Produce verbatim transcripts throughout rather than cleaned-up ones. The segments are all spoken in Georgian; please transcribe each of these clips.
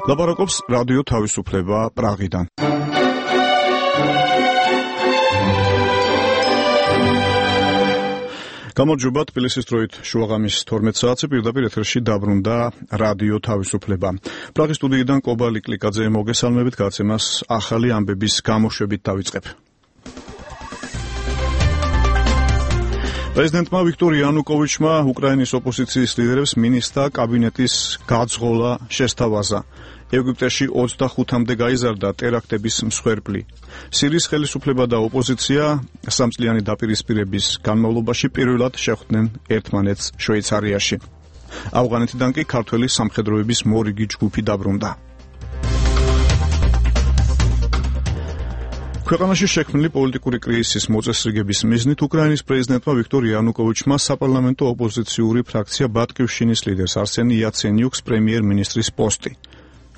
ლაპარაკობს რადიო თავისუფლება პრაღიდან. გამარჯობა, თბილისის დროით შუაღამის თორმეტ საათზე პირდაპირ ეთერში დაბრუნდა რადიო თავისუფლება. პრაღის სტუდიიდან კობალი კლიკაძე მოგესალმებით, გაცემას ახალი ამბების გამოშვებით დავიწყებ. პრეზიდენტმა ვიქტორ იანუკოვიჩმა უკრაინის ოპოზიციის ლიდერებს მინისტრთა კაბინეტის გაძღოლა შესთავაზა. ეგვიპტეში ოცდახუთამდე გაიზარდა ტერაქტების მსხვერპლი. სირიის ხელისუფლება და ოპოზიცია სამწლიანი დაპირისპირების განმავლობაში პირველად შეხვდნენ ერთმანეთს შვეიცარიაში. ავღანეთიდან კი ქართველი სამხედროების მორიგი ჯგუფი დაბრუნდა. ქვეყანაში შექმნილი პოლიტიკური კრიზისის მოწესრიგების მიზნით უკრაინის პრეზიდენტმა ვიქტორ იანუკოვიჩმა საპარლამენტო ოპოზიციური ფრაქცია ბატკივშინის ლიდერს არსენ იაცენიუკს პრემიერ-მინისტრის პოსტი.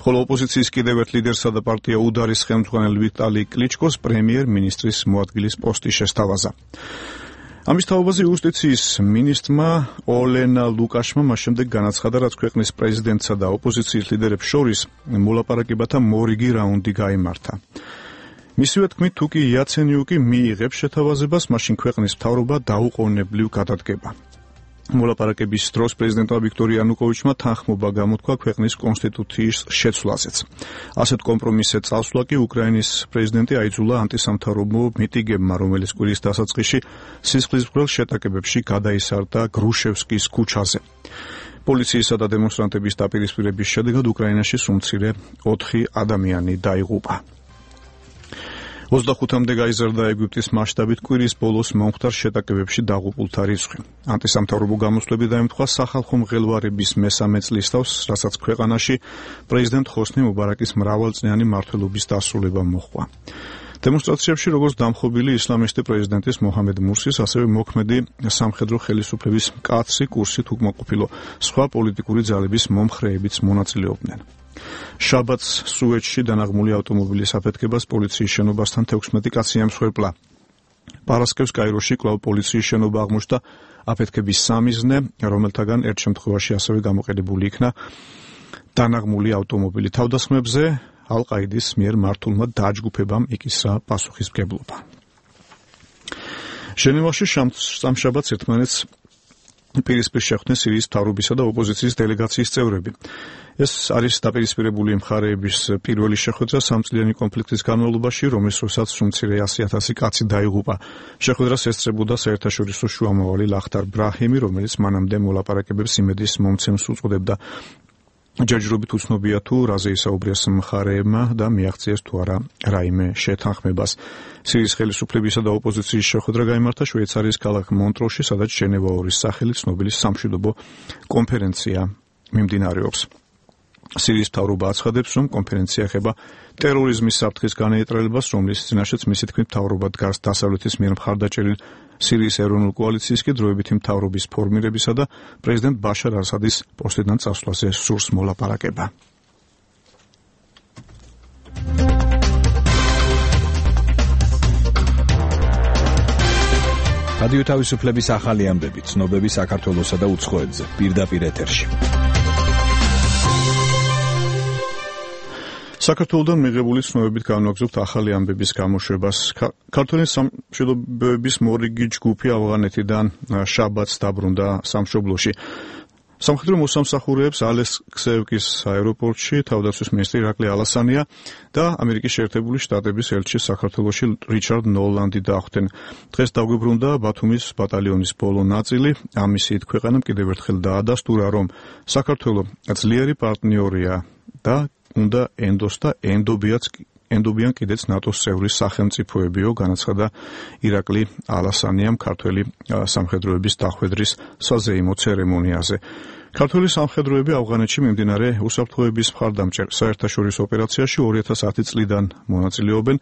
ხოლო ოპოზიციის კიდევ ერთ ლიდერსა და პარტია უდარის ხელმძღვანელ ვიტალი კლიჩკოს პრემიერ-მინისტრის მოადგილის პოსტი შესთავაზა. ამის თაობაზე იუსტიციის მინისტრმა ოლენა ლუკაშმა მას შემდეგ განაცხადა, რაც ქვეყნის პრეზიდენტსა და ოპოზიციის ლიდერებს შორის მოლაპარაკებათა მორიგი რაუნდი გაიმართა. მისივე თქმით, თუ კი იაცენიუკი მიიღებს შეთავაზებას, მაშინ ქვეყნის მთავრობა დაუყოვნებლივ გადადგება. მოლაპარაკების დროს პრეზიდენტმა ვიქტორ იანუკოვიჩმა თანხმობა გამოთქვა ქვეყნის კონსტიტუციის შეცვლაზეც. ასეთ კომპრომისზე წასვლა კი უკრაინის პრეზიდენტი აიძულა ანტისამთავრობო მიტინგებმა, რომელიც კვირის დასაწყისში სისხლისმღვრელ შეტაკებებში გადაისარდა გრუშევსკის ქუჩაზე. პოლიციისა და დემონსტრანტების დაპირისპირების შედეგად უკრაინაში სულ მცირე ოთხი ადამიანი დაიღუპა. ოცდახუთამდე გაიზარდა ეგვიპტის მასშტაბით კვირის ბოლოს მომხდარ შეტაკებებში დაღუპულთა რიცხვი. ანტისამთავრობო გამოსვლები დაემთხვა სახალხო მღელვარების მესამე წლისთავს, რასაც ქვეყანაში პრეზიდენტ ხოსნი მუბარაკის მრავალწლიანი მმართველობის დასრულება მოჰყვა. დემონსტრაციებში როგორც დამხობილი ისლამისტი პრეზიდენტის მოჰამედ მურსის, ასევე მოქმედი სამხედრო ხელისუფლების მკაცრი კურსით უკმაყოფილო სხვა პოლიტიკური ძალების მომხრეებიც მონაწილეობდნენ. შაბათს სუეცში დანაღმული ავტომობილის აფეთქებას პოლიციის შენობასთან თექვსმეტი კაცი ემსხვერპლა. პარასკევს კაიროში კვლავ პოლიციის შენობა აღმოჩნდა აფეთქების სამიზნე, რომელთაგან ერთ შემთხვევაში ასევე გამოყენებული იქნა დანაღმული ავტომობილი. თავდასხმებზე ალ-ყაიდის მიერ მართულმა დაჯგუფებამ იკისრა პასუხისმგებლობა. ჟენევაში სამშაბათს ერთმანეთს პირისპირ შეხვდნენ სირიის მთავრობისა და ოპოზიციის დელეგაციის წევრები. ეს არის დაპირისპირებული მხარეების პირველი შეხვედრა სამწლიანი კონფლიქტის განმავლობაში, რომლის დროსაც სულ ასი ათასი კაცი დაიღუპა. შეხვედრას ესწრებოდა საერთაშორისო შუამავალი ლახტარ ბრაჰიმი, რომელიც მანამდე მოლაპარაკებებს იმედის მომცემს უწოდებდა. ჯერჯერობით უცნობია თუ რაზე ისაუბრეს მხარეებმა და მიაღწიეს თუ არა რაიმე შეთანხმებას. სირიის ხელისუფლებისა და ოპოზიციის შეხვედრა გაიმართა შვეიცარიის ქალაქ მონტროში, სადაც ჟენევა ორის სახელით ცნობილი სამშვიდობო კონფერენცია მიმდინარეობს. სირიის მთავრობა აცხადებს, რომ კონფერენცია ეხება ტერორიზმის საფრთხის განეიტრალებას, რომლის წინაშეც მისი თქმით მთავრობა დგას დასავლეთის მიერ მხარდაჭერილ სირიის ეროვნულ კოალიციას კი დროებითი მთავრობის ფორმირებისა და პრეზიდენტ ბაშარ ასადის პოსტიდან წასვლაზე სურს მოლაპარაკება. რადიო თავისუფლების ახალი ამბები, ცნობები საქართველოსა და უცხოეთზე, პირდაპირ ეთერში. საქართველოდან მიღებული ცნობებით განვაგრძობთ ახალი ამბების გამოშვებას. ქართველი სამშვიდობოების მორიგი ჯგუფი ავღანეთიდან შაბათს დაბრუნდა სამშობლოში. სამხედრო მოსამსახურეებს ალექსეევკის აეროპორტში თავდაცვის მინისტრი ირაკლი ალასანია და ამერიკის შეერთებული შტატების ელჩი საქართველოში რიჩარდ ნოლანდი დახვდნენ. დღეს დაგვიბრუნდა ბათუმის ბატალიონის ბოლო ნაწილი. ამ მისიით ქვეყანამ კიდევ ერთხელ დაადასტურა, რომ საქართველო ძლიერი პარტნიორია და უნდა ენდოს და ენდობიაც ენდობიან კიდეც ნატოს წევრი სახელმწიფოებიო, განაცხადა ირაკლი ალასანიამ ქართველი სამხედროების დახვედრის საზეიმო ცერემონიაზე. ქართველი სამხედროები ავღანეთში მიმდინარე უსაფრთხოების მხარდამჭერ საერთაშორისო ოპერაციაში ორი ათას ათი წლიდან მონაწილეობენ.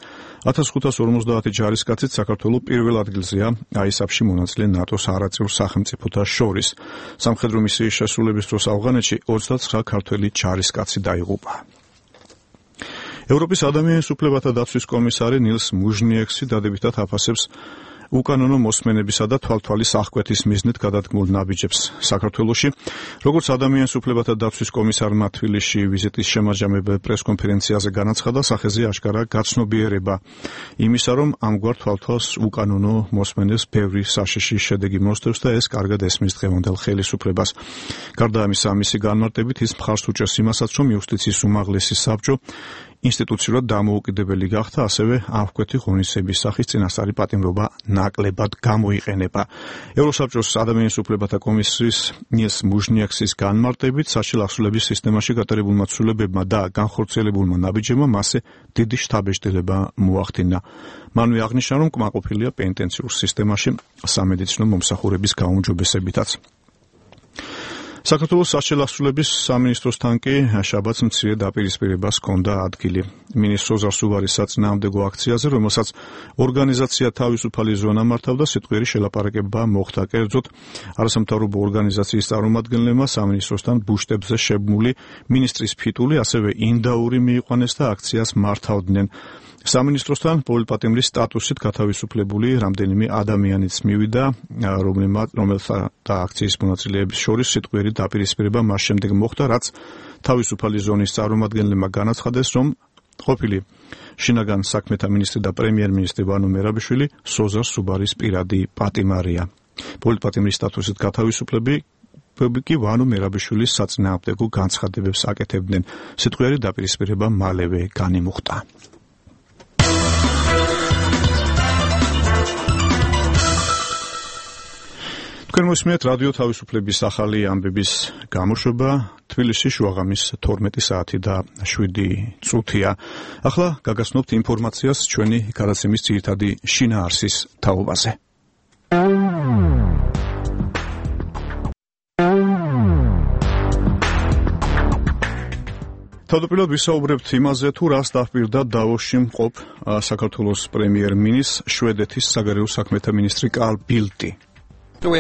ათას ხუთას ორმოცდაათი ჯარისკაცით საქართველოს პირველ ადგილზეა აისაფში მონაწილე ნატოს არაწევრ სახელმწიფოთა შორის. სამხედრო მისიის შესრულების დროს ავღანეთში ოცდაცხრა ქართველი ჯარისკაცი დაიღუპა. ევროპის ადამიანის უფლებათა დაცვის კომისარი ნილს მუჟნიექსი დადებითად აფასებს უკანონო მოსმენებისა და თვალთვალის აღკვეთის მიზნით გადადგმულ ნაბიჯებს საქართველოში. Როგორც ადამიანის უფლებათა დაცვის კომისარმა თბილისში ვიზიტის შემაჯამებელ პრესკონფერენციაზე განაცხადა, სახეზე აშკარა გაცნობიერება იმისა, რომ ამგვარ თვალთვალს უკანონო მოსმენებს ბევრი საშიში შედეგი მოსდევს და ეს კარგად ესმის დღევანდელ ხელისუფლებას. გარდა ამისა, მისი განმარტებით ის მხარს უჭერს იმასაც, რომ იუსტიციის უმაღლესი საბჭო ინსტიტუციურად დამოუკიდებელი გახდა, ასევე აღკვეთი ღონისძიების სახის წინასწარი პატიმრობა ნაკლებად გამოიყენება. ევროსაბჭოს ადამიანის უფლებათა კომისიის ნილს მუჟნიაქსის განმარტებით, საჭირო ახსულების სისტემაში გატარებულმა ცვლილებებმა და განხორციელებულმა ნაბიჯებმა მასზე დიდი შთაბეჭდილება მოახდინა. მანვე აღნიშნა, რომ კმაყოფილია პენიტენციურ სისტემაში სამედიცინო მომსახურების გაუმჯობესებითაც. საქართველოს საჭირო ახსულების სამინისტროსთან კი შაბათს მცირე დაპირისპირებას ჰქონდა ადგილი. მინისტრ ოზარ სუვარის საწინააღმდეგო აქციაზე, რომელსაც ორგანიზაცია თავისუფალი ზონა მართავდა, სიტყვიერი შელაპარაკება მოხდა. კერძოდ, არასამთავრობო ორგანიზაციის წარმომადგენლებმა სამინისტროსთან ბუშტებზე შებმული მინისტრის ფიტული, ასევე ინდაური მიიყვანეს და აქციას მართავდნენ. სამინისტროსთან პოლიტპატიმრის სტატუსით გათავისუფლებული რამდენიმე ადამიანიც მივიდა, რომელთა და აქციის მონაწილეების შორის სიტყვიერი დაპირისპირება მას შემდეგ მოხდა, რაც თავისუფალი ზონის წარმომადგენლებმა განაცხადეს, რომ ყოფილი შინაგან საქმეთა მინისტრი და პრემიერ-მინისტრი ვანო მერაბიშვილი სოზარ სუბარის პირადი პატიმარია. პოლიტპატიმრის სტატუსით გათავისუფლები კი ვანო მერაბიშვილის საწინააღმდეგო განცხადებებს აკეთებდნენ. სიტყვიერი დაპირისპირება მალევე განიმუხტა. თქვენ მოსმენთ რადიო თავისუფლების ახალი ამბების გამოშვება. თბილისში შუაღამის თორმეტი საათი და შვიდი წუთია. ახლა გაგაცნობთ ინფორმაციას ჩვენი გადაცემის ძირითადი შინაარსის თაობაზე. თავდაპირველად ვისაუბრებთ იმაზე, თუ რას დაჰპირდა დავოსში მყოფ საქართველოს პრემიერ-მინისტრს შვედეთის საგარეო საქმეთა მინისტრი კარლ ბილტი. ჩვენ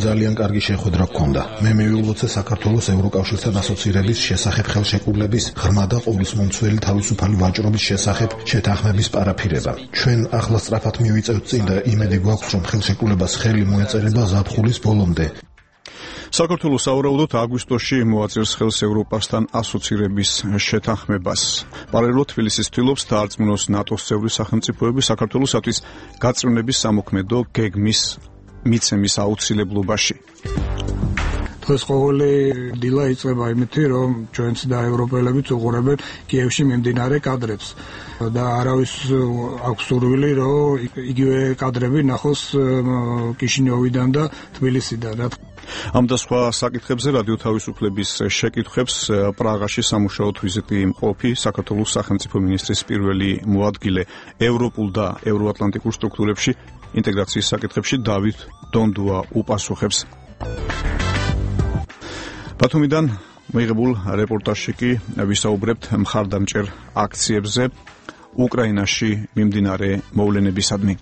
ძალიან კარგი შეხვედრა გქონდა. მე მივილოცე საქართველოს ევროკავშირთან ასოცირების შესახებ ხელშეკრულების ღრმა და ყოვლისმომცველი თავისუფალი ვაჭრობის შესახებ შეთანხმების პარაფირება. ჩვენ ახლა სწრაფად მივიწევთ წინ და იმედი გვაქვს, რომ ხელშეკრულებას ხელი მოეწერება ზაფხულის ბოლომდე. საქართველოს სავარაუდოდ აგვისტოში მოაწერს ხელს ევროპასთან ასოცირების შეთანხმებას. პარალელურად თბილისის ცდილობს დაარწმუნოს ნატოს წევრი სახელმწიფოები საქართველოსთვის გაწევნების სამოქმედო გეგმის მიცემის აუცილებლობაში. დღეს ყოველი დილა იწყება იმითი, რომ ჩვენც და ევროპელებიც უყურებენ კიევში მიმდინარე კადრებს და არავის აქვს სურვილი, რომ იგივე კადრები ნახოს კიშინიოვიდან და თბილისიდან. ამ და სხვა საკითხებზე რადიო თავისუფლების შეკითხვებს პრაღაში სამუშაოდ ვიზიტი მყოფი საქართველოს სახელმწიფო მინისტრის პირველი მოადგილე ევროპულ და ევროატლანტიკურ სტრუქტურებში ინტეგრაციის საკითხებში დავით დონდუა უპასუხებს. ბათუმიდან მოიღებულ რეპორტაჟში კი ვისაუბრებთ მხარდამჭერ აქციებზე უკრაინაში მიმდინარე მოვლენებისადმი.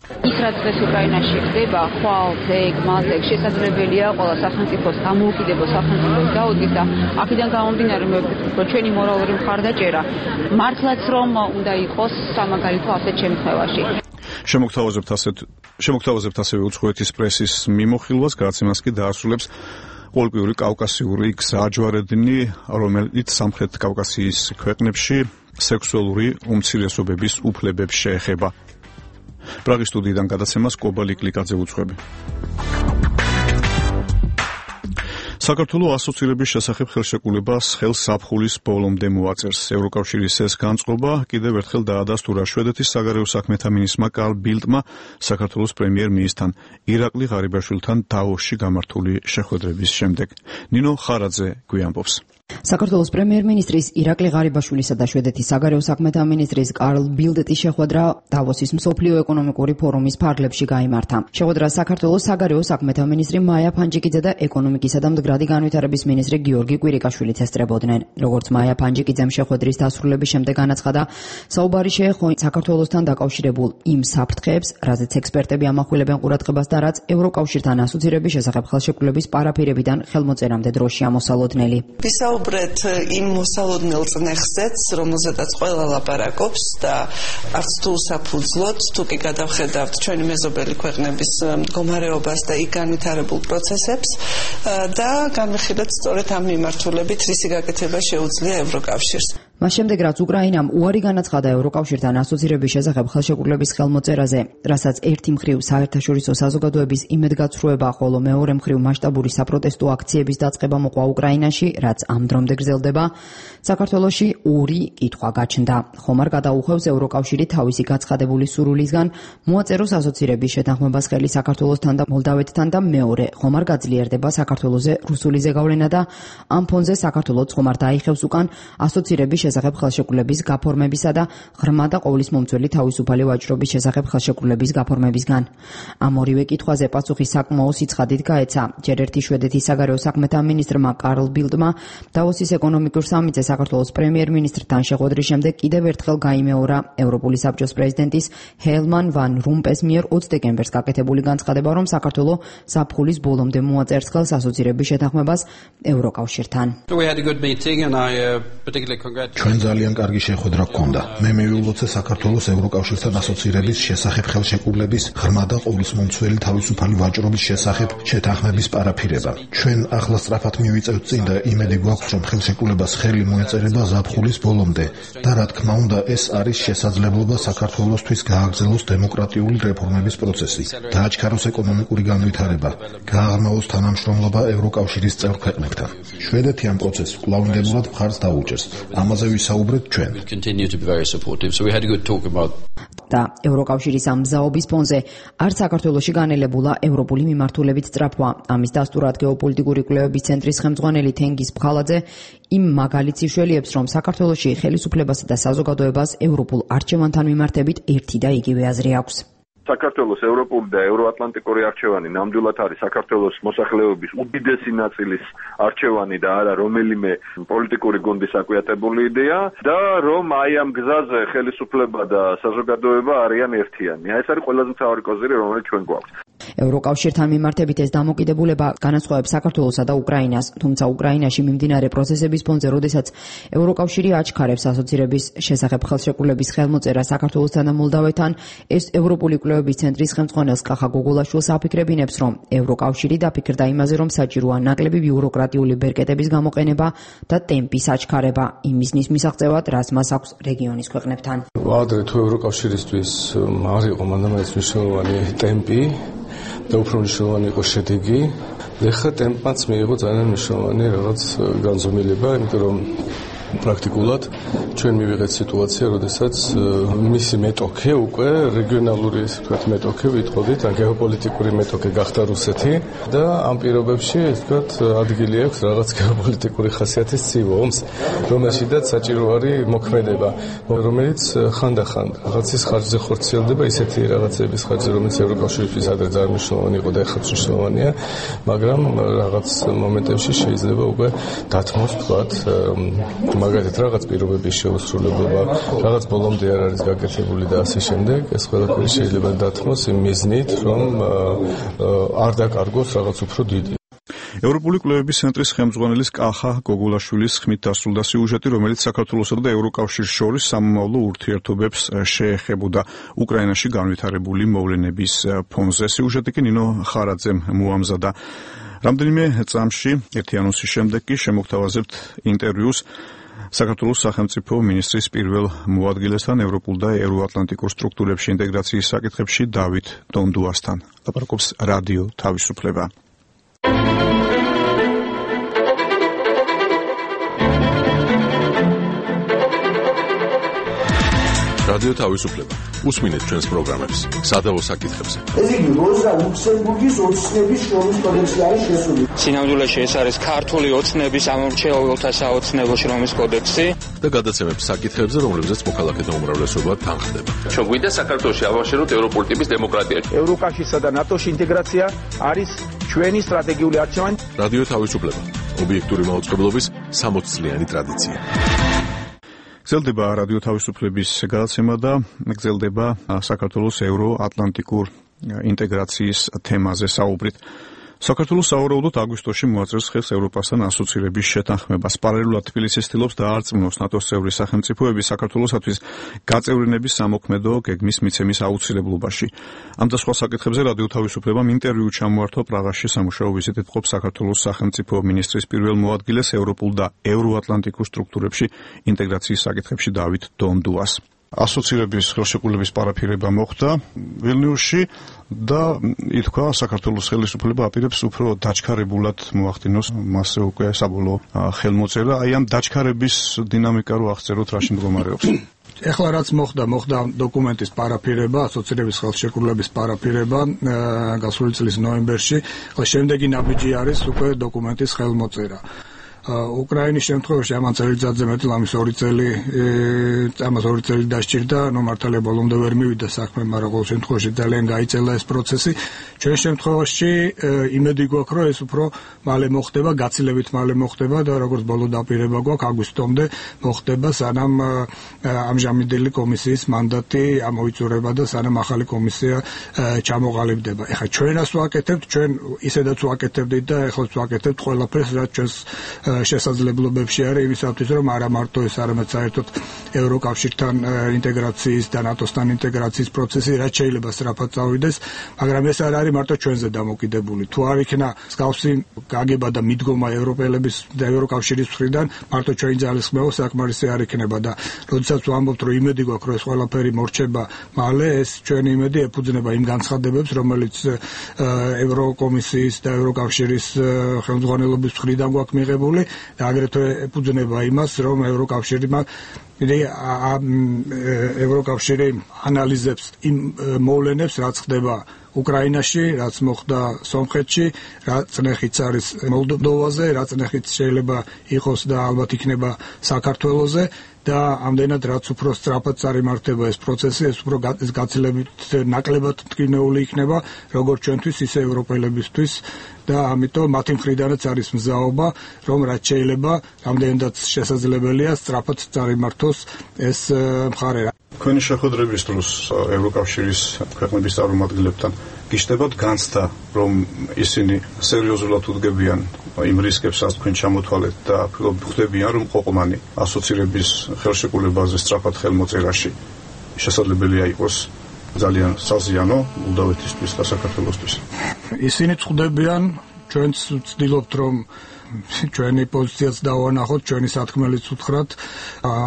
ის რაც დღეს უკრაინაში ხდება, ხვალ, ზეგ, მაზეგ, შესაძლებელია ყველა სახელმწიფოს დამოუკიდებელ სახელმწიფოს დაუდგეს და აქედან გამომდინარე მოვიქცევთ, რომ ჩვენი მორალური მხარდაჭერა მართლაც რომ უნდა იყოს სამაგალითო ასეთ შემთხვევაში. შემოგთავაზებთ ასეთ შემოგთავაზებთ ასევე უცხოეთის პრესის მიმოხილვას, გადაცემას კი დაასრულებს პოლკიური კავკასიური გზაჯვარედინი, რომელიც სამხრეთ კავკასიის ქვეყნებში სექსუალური უმცირესობების უფლებებს შეეხება. პრაღის სტუდიიდან გადაცემას კობალი კლიკაძე უძღვები. საქართველოს ასოცირების შესახებ ხელშეკრულებას ხელს ზაფხულის ბოლომდე მოაწერს. ევროკავშირის ეს განწყობა კიდევ ერთხელ დაადასტურა შვედეთის საგარეო საქმეთა მინისტრმა კარლ ბილტმა საქართველოს პრემიერ-მინისტრთან ირაკლი ღარიბაშვილთან დავოსში გამართული შეხვედრების შემდეგ. ნინო ხარაძე გვიამბობს. საქართველოს პრემიერ-მინისტრის ირაკლი ღარიბაშვილისა და შვედეთის საგარეო საქმეთა მინისტრის კარლ ბილდეტის შეხვედრა დავოსის მსოფლიო ეკონომიკური ფორუმის ფარგლებში გაიმართა. შეხვედრას საქართველოს საგარეო საქმეთა მინისტრი მაია ფანჯიკიძე და ეკონომიკისა და მდგრადი განვითარების მინისტრი გიორგი კვირიკაშვილიც ესწრებოდნენ. როგორც მაია ფანჯიკიძემ შეხვედრის დასრულების შემდეგ განაცხადა, საუბარი შეეხო საქართველოსთან დაკავშირებულ იმ საფრთხეებს, რაზეც ექსპერტები ამახვილებენ ყურადღებას და რაც ევროკავშირთან ასოცირების შესახებ ხელშეკრულების პარაფირებიდან ხელმოწერამდე დროში ამოსალოდნელი. ვისაუბრეთ იმ მოსალოდნელ წნეხზეც, რომელზედაც ყველა ლაპარაკობს და არც თუ საფუძვლოდ, თუ კი გადავხედავთ ჩვენი მეზობელი ქვეყნების მდგომარეობას და იქ განვითარებულ პროცესებს და განვიხილეთ სწორედ ამ მიმართულებით რისი გაკეთება შეუძლია ევროკავშირს. მას შემდეგ, რაც უკრაინამ უარი განაცხადა ევროკავშირთან ასოცირების შესახებ ხელშეკრულების ხელმოწერაზე, რასაც ერთი მხრივ საერთაშორისო საზოგადოების იმედგაცრუება, ხოლო მეორე მხრივ მასშტაბური საპროტესტო აქციების დაწყება მოყვა უკრაინაში, რაც ამ დრომდე გრძელდება, საქართველოში ორი კითხვა გაჩნდა. ხომ არ გადაუხვევს ევროკავშირი თავისი გაცხადებული სურვილისგან მოაწეროს ასოცირების შეთანხმებას ხელი საქართველოსთან და მოლდავეთთან და მეორე, ხომ არ გაძლიერდება საქართველოზე რუსული ზეგავლენა და ამ ფონზე საქართველოს ხომ არ დაიხევს უკან ასოცირების შესახებ ხელშეკრულების გაფორმებისა და ღრმა და ყოვლის მომცველი თავისუფალი ვაჭრობის შესახებ ხელშეკრულების გაფორმებისგან. ამ ორივე კითხვაზე პასუხი საკმაო სიცხადით გაეცა. ჯერ ერთი შვედეთის საგარეო საქმეთა მინისტრმა კარლ ბილდმა დავოსის ეკონომიკურ სამიტზე საქართველოს პრემიერ-მინისტრთან შეხვედრის შემდეგ კიდევ ერთხელ გაიმეორა ევროპული საბჭოს პრეზიდენტის ჰელმან ვან რომპეს მიერ ოცი დეკემბერს გაკეთებული განცხადება, რომ საქართველო ზაფხულის ბოლომდე მოაწერს ხელს ასოცირების შეთანხმებას ევროკავშირთან. ჩვენ ძალიან კარგი შეხვედრა გქონდა. მე მივულოცე საქართველოს ევროკავშირთან ასოცირების შესახებ ხელშეკრულების ღრმა და ყოვლისმომცველი თავისუფალი ვაჭრობის შესახებ შეთანხმების პარაფირება. ჩვენ ახლა სწრაფად მივიწევთ წინ და იმედი გვაქვს, რომ ხელშეკრულებას ხელი მოეწერება ზაფხულის ბოლომდე და რა თქმა უნდა ეს არის შესაძლებლობა საქართველოსთვის გააგრძელოს დემოკრატიული რეფორმების პროცესი, დააჩქაროს ეკონომიკური განვითარება, გააღრმავოს თანამშრომლობა ევროკავშირის წევრ ქვეყნებთან. შვედეთი ამ პროცესს კვლავინდებურად მხარს დაუჭერს. ამაზე ვისაუბრეთ ჩვენ. და ევროკავშირის ამ მზაობის ფონზე არც საქართველოში განელებულა ევროპული მიმართულებით სწრაფვა. ამის დასტურად გეოპოლიტიკური კვლევების ცენტრის ხელმძღვანელი თენგიზ ფხალაძე იმ მაგალითს იშველიებს, რომ საქართველოში ხელისუფლებასა და საზოგადოებას ევროპულ არჩევანთან მიმართებით ერთი და იგივე აზრი აქვს. საქართველოს ევროპული და ევროატლანტიკური არჩევანი ნამდვილად არის საქართველოს მოსახლეობის უდიდესი ნაწილის არჩევანი და არა რომელიმე პოლიტიკური გუნდის აკვიატებული იდეა და რომ აი ამ გზაზე ხელისუფლება და საზოგადოება არიან ერთიანი. ეს არის ყველაზე მთავარი კოზირი, რომელიც ჩვენ გვაქვს. ევროკავშირთან მიმართებით ეს დამოკიდებულება განასხვავებს საქართველოსა და უკრაინას, თუმცა უკრაინაში მიმდინარე პროცესების ფონზე, როდესაც ევროკავშირი აჩქარებს ასოცირების შესახებ ხელშეკრულების ხელმოწერა საქართველოსთან და მოლდავეთთან, ეს ევროპული კვლევების ცენტრის ხელმძღვანელს კახა გოგოლაშვილს აფიქრებინებს, რომ ევროკავშირი დაფიქრდა იმაზე, რომ საჭიროა ნაკლები ბიუროკრატიული ბერკეტების გამოყენება და ტემპის აჩქარება იმისნის მისაღწევად, რაც მას აქვს რეგიონის ქვეყნებთან. ვადრე თუ ევროკავშირისთვის არ იყო მანდამაინც მნიშვნელოვანი ტემპი და უფრო მნიშვნელოვანი იყო შედეგი. ეხლა ტემპმაც მიიღო ძალიან მნიშვნელოვანი რაღაც განზომილება, იმიტომ რომ პრაქტიკულად ჩვენ მივიღეთ სიტუაცია, როდესაც მისი მეტოქე უკვე რეგიონალური თქვათ მეტოქე ვიტყოდით, ან გეოპოლიტიკური მეტოქე გახდა რუსეთი და ამ პირობებში თქვათ ადგილი აქვს რაღაც გეოპოლიტიკური ხასიათის ცივ-ომს, რომელშიდაც საჭირო არის მოქმედება, რომელიც ხანდახან რაღაცის ხარჯზე ხორციელდება, ისეთი რაღაცების ხარჯზე, რომელიც ევროკავშირისთვის ადრე ძალიან მნიშვნელოვანი იყო და ეხლაც მნიშვნელოვანია, მაგრამ რაღაც მომენტებში შეიძლება უკვე დათმოს თქვათ მაგალითად რაღაც პირობების შეუსრულებლობა, რაღაც ბოლომდე არ არის გაკეთებული და ასე შემდეგ, ეს ყველაფერი შეიძლება დათმოს იმ მიზნით, რომ არ დაკარგოს რაღაც უფრო დიდი. ევროპული კვლევების ცენტრის ხელმძღვანელის კახა გოგოლაშვილის ხმით დასრულდა სიუჟეტი, რომელიც საქართველოსა და ევროკავშირს შორის სამომავლო ურთიერთობებს შეეხებოდა უკრაინაში განვითარებული მოვლენების ფონზე. სიუჟეტი კი ნინო ხარაძემ მოამზადა. რამდენიმე წამში ერთი ანონსის შემდეგ კი შემოგთავაზებთ ინტერვიუს საქართველოს სახელმწიფო მინისტრის პირველ მოადგილესთან ევროპულ და ევროატლანტიკურ სტრუქტურებში ინტეგრაციის საკითხებში დავით დონდუასთან. ლაპარაკობს რადიო თავისუფლება. რადიო თავისუფლება. უსმინეთ ჩვენს პროგრამებს სადავო საკითხებზე. ეს იგი როზა ლუქსემბურგის ოცნების შრომის კოდექსი არის შესული. სინამდვილეში ეს არის ქართული ოცნების ამორჩეულთა საოცნებო შრომის კოდექსი და გადაცემებს საკითხებზე, რომლებზეც მოქალაქეთა უმრავლესობა თანხდება. ჩვენ გვინდა საქართველოში ავაშენოთ ევროპული ტიპის დემოკრატია. ევროკავშირსა და ნატოში ინტეგრაცია არის ჩვენი სტრატეგიული არჩევანი. რადიო თავისუფლება. ობიექტური მაუწყებლობის სამოცი წლიანი ტრადიცია. გრძელდება რადიო თავისუფლების გადაცემა და გრძელდება საქართველოს ევროატლანტიკურ ინტეგრაციის თემაზე საუბრით. საქართველოს სავარაუდოდ აგვისტოში მოაწერს ხელს ევროპასთან ასოცირების შეთანხმებას. პარალელურად თბილისი ცდილობს დაარწმუნოს ნატოს წევრი სახელმწიფოები საქართველოსათვის გაწევრიანების სამოქმედო გეგმის მიცემის აუცილებლობაში. ამ და სხვა საკითხებზე რადიო თავისუფლებამ ინტერვიუ ჩამოართვა პრაღაში სამუშაო ვიზიტით მყოფ საქართველოს სახელმწიფო მინისტრის პირველ მოადგილეს ევროპულ და ევროატლანტიკურ სტრუქტურებში ინტეგრაციის საკითხებში დავით დონდუას. ასოცირების ხელშეკრულების პარაფირება მოხდა ვილნიუსში და ითქვა საქართველოს ხელისუფლება აპირებს უფრო დაჩქარებულად მოახდინოს მასზე უკვე საბოლოო ხელმოწერა. აი ამ დაჩქარების დინამიკა რო აღწეროთ, რაში მდგომარეობს? ეხლა რაც მოხდა, მოხდა დოკუმენტის პარაფირება, ასოცირების ხელშეკრულების პარაფირება გასული წლის ნოემბერში. ახლა შემდეგი ნაბიჯი არის უკვე დოკუმენტის ხელმოწერა. უკრაინის შემთხვევაში ამან წელიწადზე მეტი ამის ორი წელი ამას ორი წელი დასჭირდა, ნუ მართალია ბოლომდე ვერ მივიდა საქმე, მაგრამ ყოველ შემთხვევაში ძალიან გაიწელა ეს პროცესი. ჩვენ შემთხვევაში იმედი გვაქვს, რომ ეს უფრო მალე მოხდება, გაცილებით მალე მოხდება და როგორც ბოლო დაპირება გვაქვს, აგვისტომდე მოხდება, სანამ ამჟამინდელი კომისიის მანდატი ამოიწურება და სანამ ახალი კომისია ჩამოყალიბდება. ეხლა ჩვენას ვაკეთებთ, ჩვენ ისედაც ვაკეთებდით და ეხლაც ვაკეთებთ ყველაფერს, რაც ჩვენს შესაძლებლობებში არის იმისათვის, რომ არა მარტო ეს, არამედ საერთოდ ევროკავშირთან ინტეგრაციის და ნატოსთან ინტეგრაციის პროცესი რაც შეიძლება სწრაფად წავიდეს, მაგრამ ეს არ არის მარტო ჩვენზე დამოკიდებული. თუ არ იქნა მსგავსი გაგება და მიდგომა ევროპელების და ევროკავშირის მხრიდან, მარტო ჩვენი ძალისხმევა საკმარისი არ იქნება და როდესაც ვამბობთ, რომ იმედი გვაქვს, რომ ეს ყველაფერი მორჩება მალე, ეს ჩვენი იმედი ეფუძნება იმ განცხადებებს, რომელიც ევროკომისიის და ევროკავშირის ხელმძღვანელობის მხრიდან გვაქვს მიღებული და აგრეთვე ეფუძნება იმას, რომ ევროკავშირმა ევროკავშირი ანალიზებს იმ მოვლენებს, რაც ხდება უკრაინაში, რაც მოხდა სომხეთში, რაც ნეხიც არის მოლდოვაზე, რაც ნეხიც შეიძლება იყოს და ალბათ იქნება საქართველოზე და ამდენად რაც უფრო სწრაფად წარიმართება ეს პროცესი, ეს უფრო გაცილებით ნაკლებად მტკივნეული იქნება, როგორც ჩვენთვის, ისე ევროპელებისთვის და ამიტომ მათი მხრიდანაც არის მზაობა, რომ რაც შეიძლება, ამდენადაც შესაძლებელია სწრაფად წარიმართოს ეს მხარე. თქვენი შეხვედრების დროს ევროკავშირის ქვეყნების წარმომადგენლებთან გიშდებათ განცდა, რომ ისინი სერიოზულად უდგებიან იმ რისკებს, რაც თქვენ ჩამოთვალეთ და ხვდებიან, რომ ყოყმანი ასოცირების ხელშეკრულებაზე სწრაფად ხელმოწერაში შესაძლებელია იყოს ძალიან საზიანო მოლდოვეთისთვის და საქართველოსთვის. ისინი ხვდებიან, ჩვენც ვცდილობთ, რომ ჩვენი პოზიციაც დავანახოთ, ჩვენი სათქმელიც უთხრათ,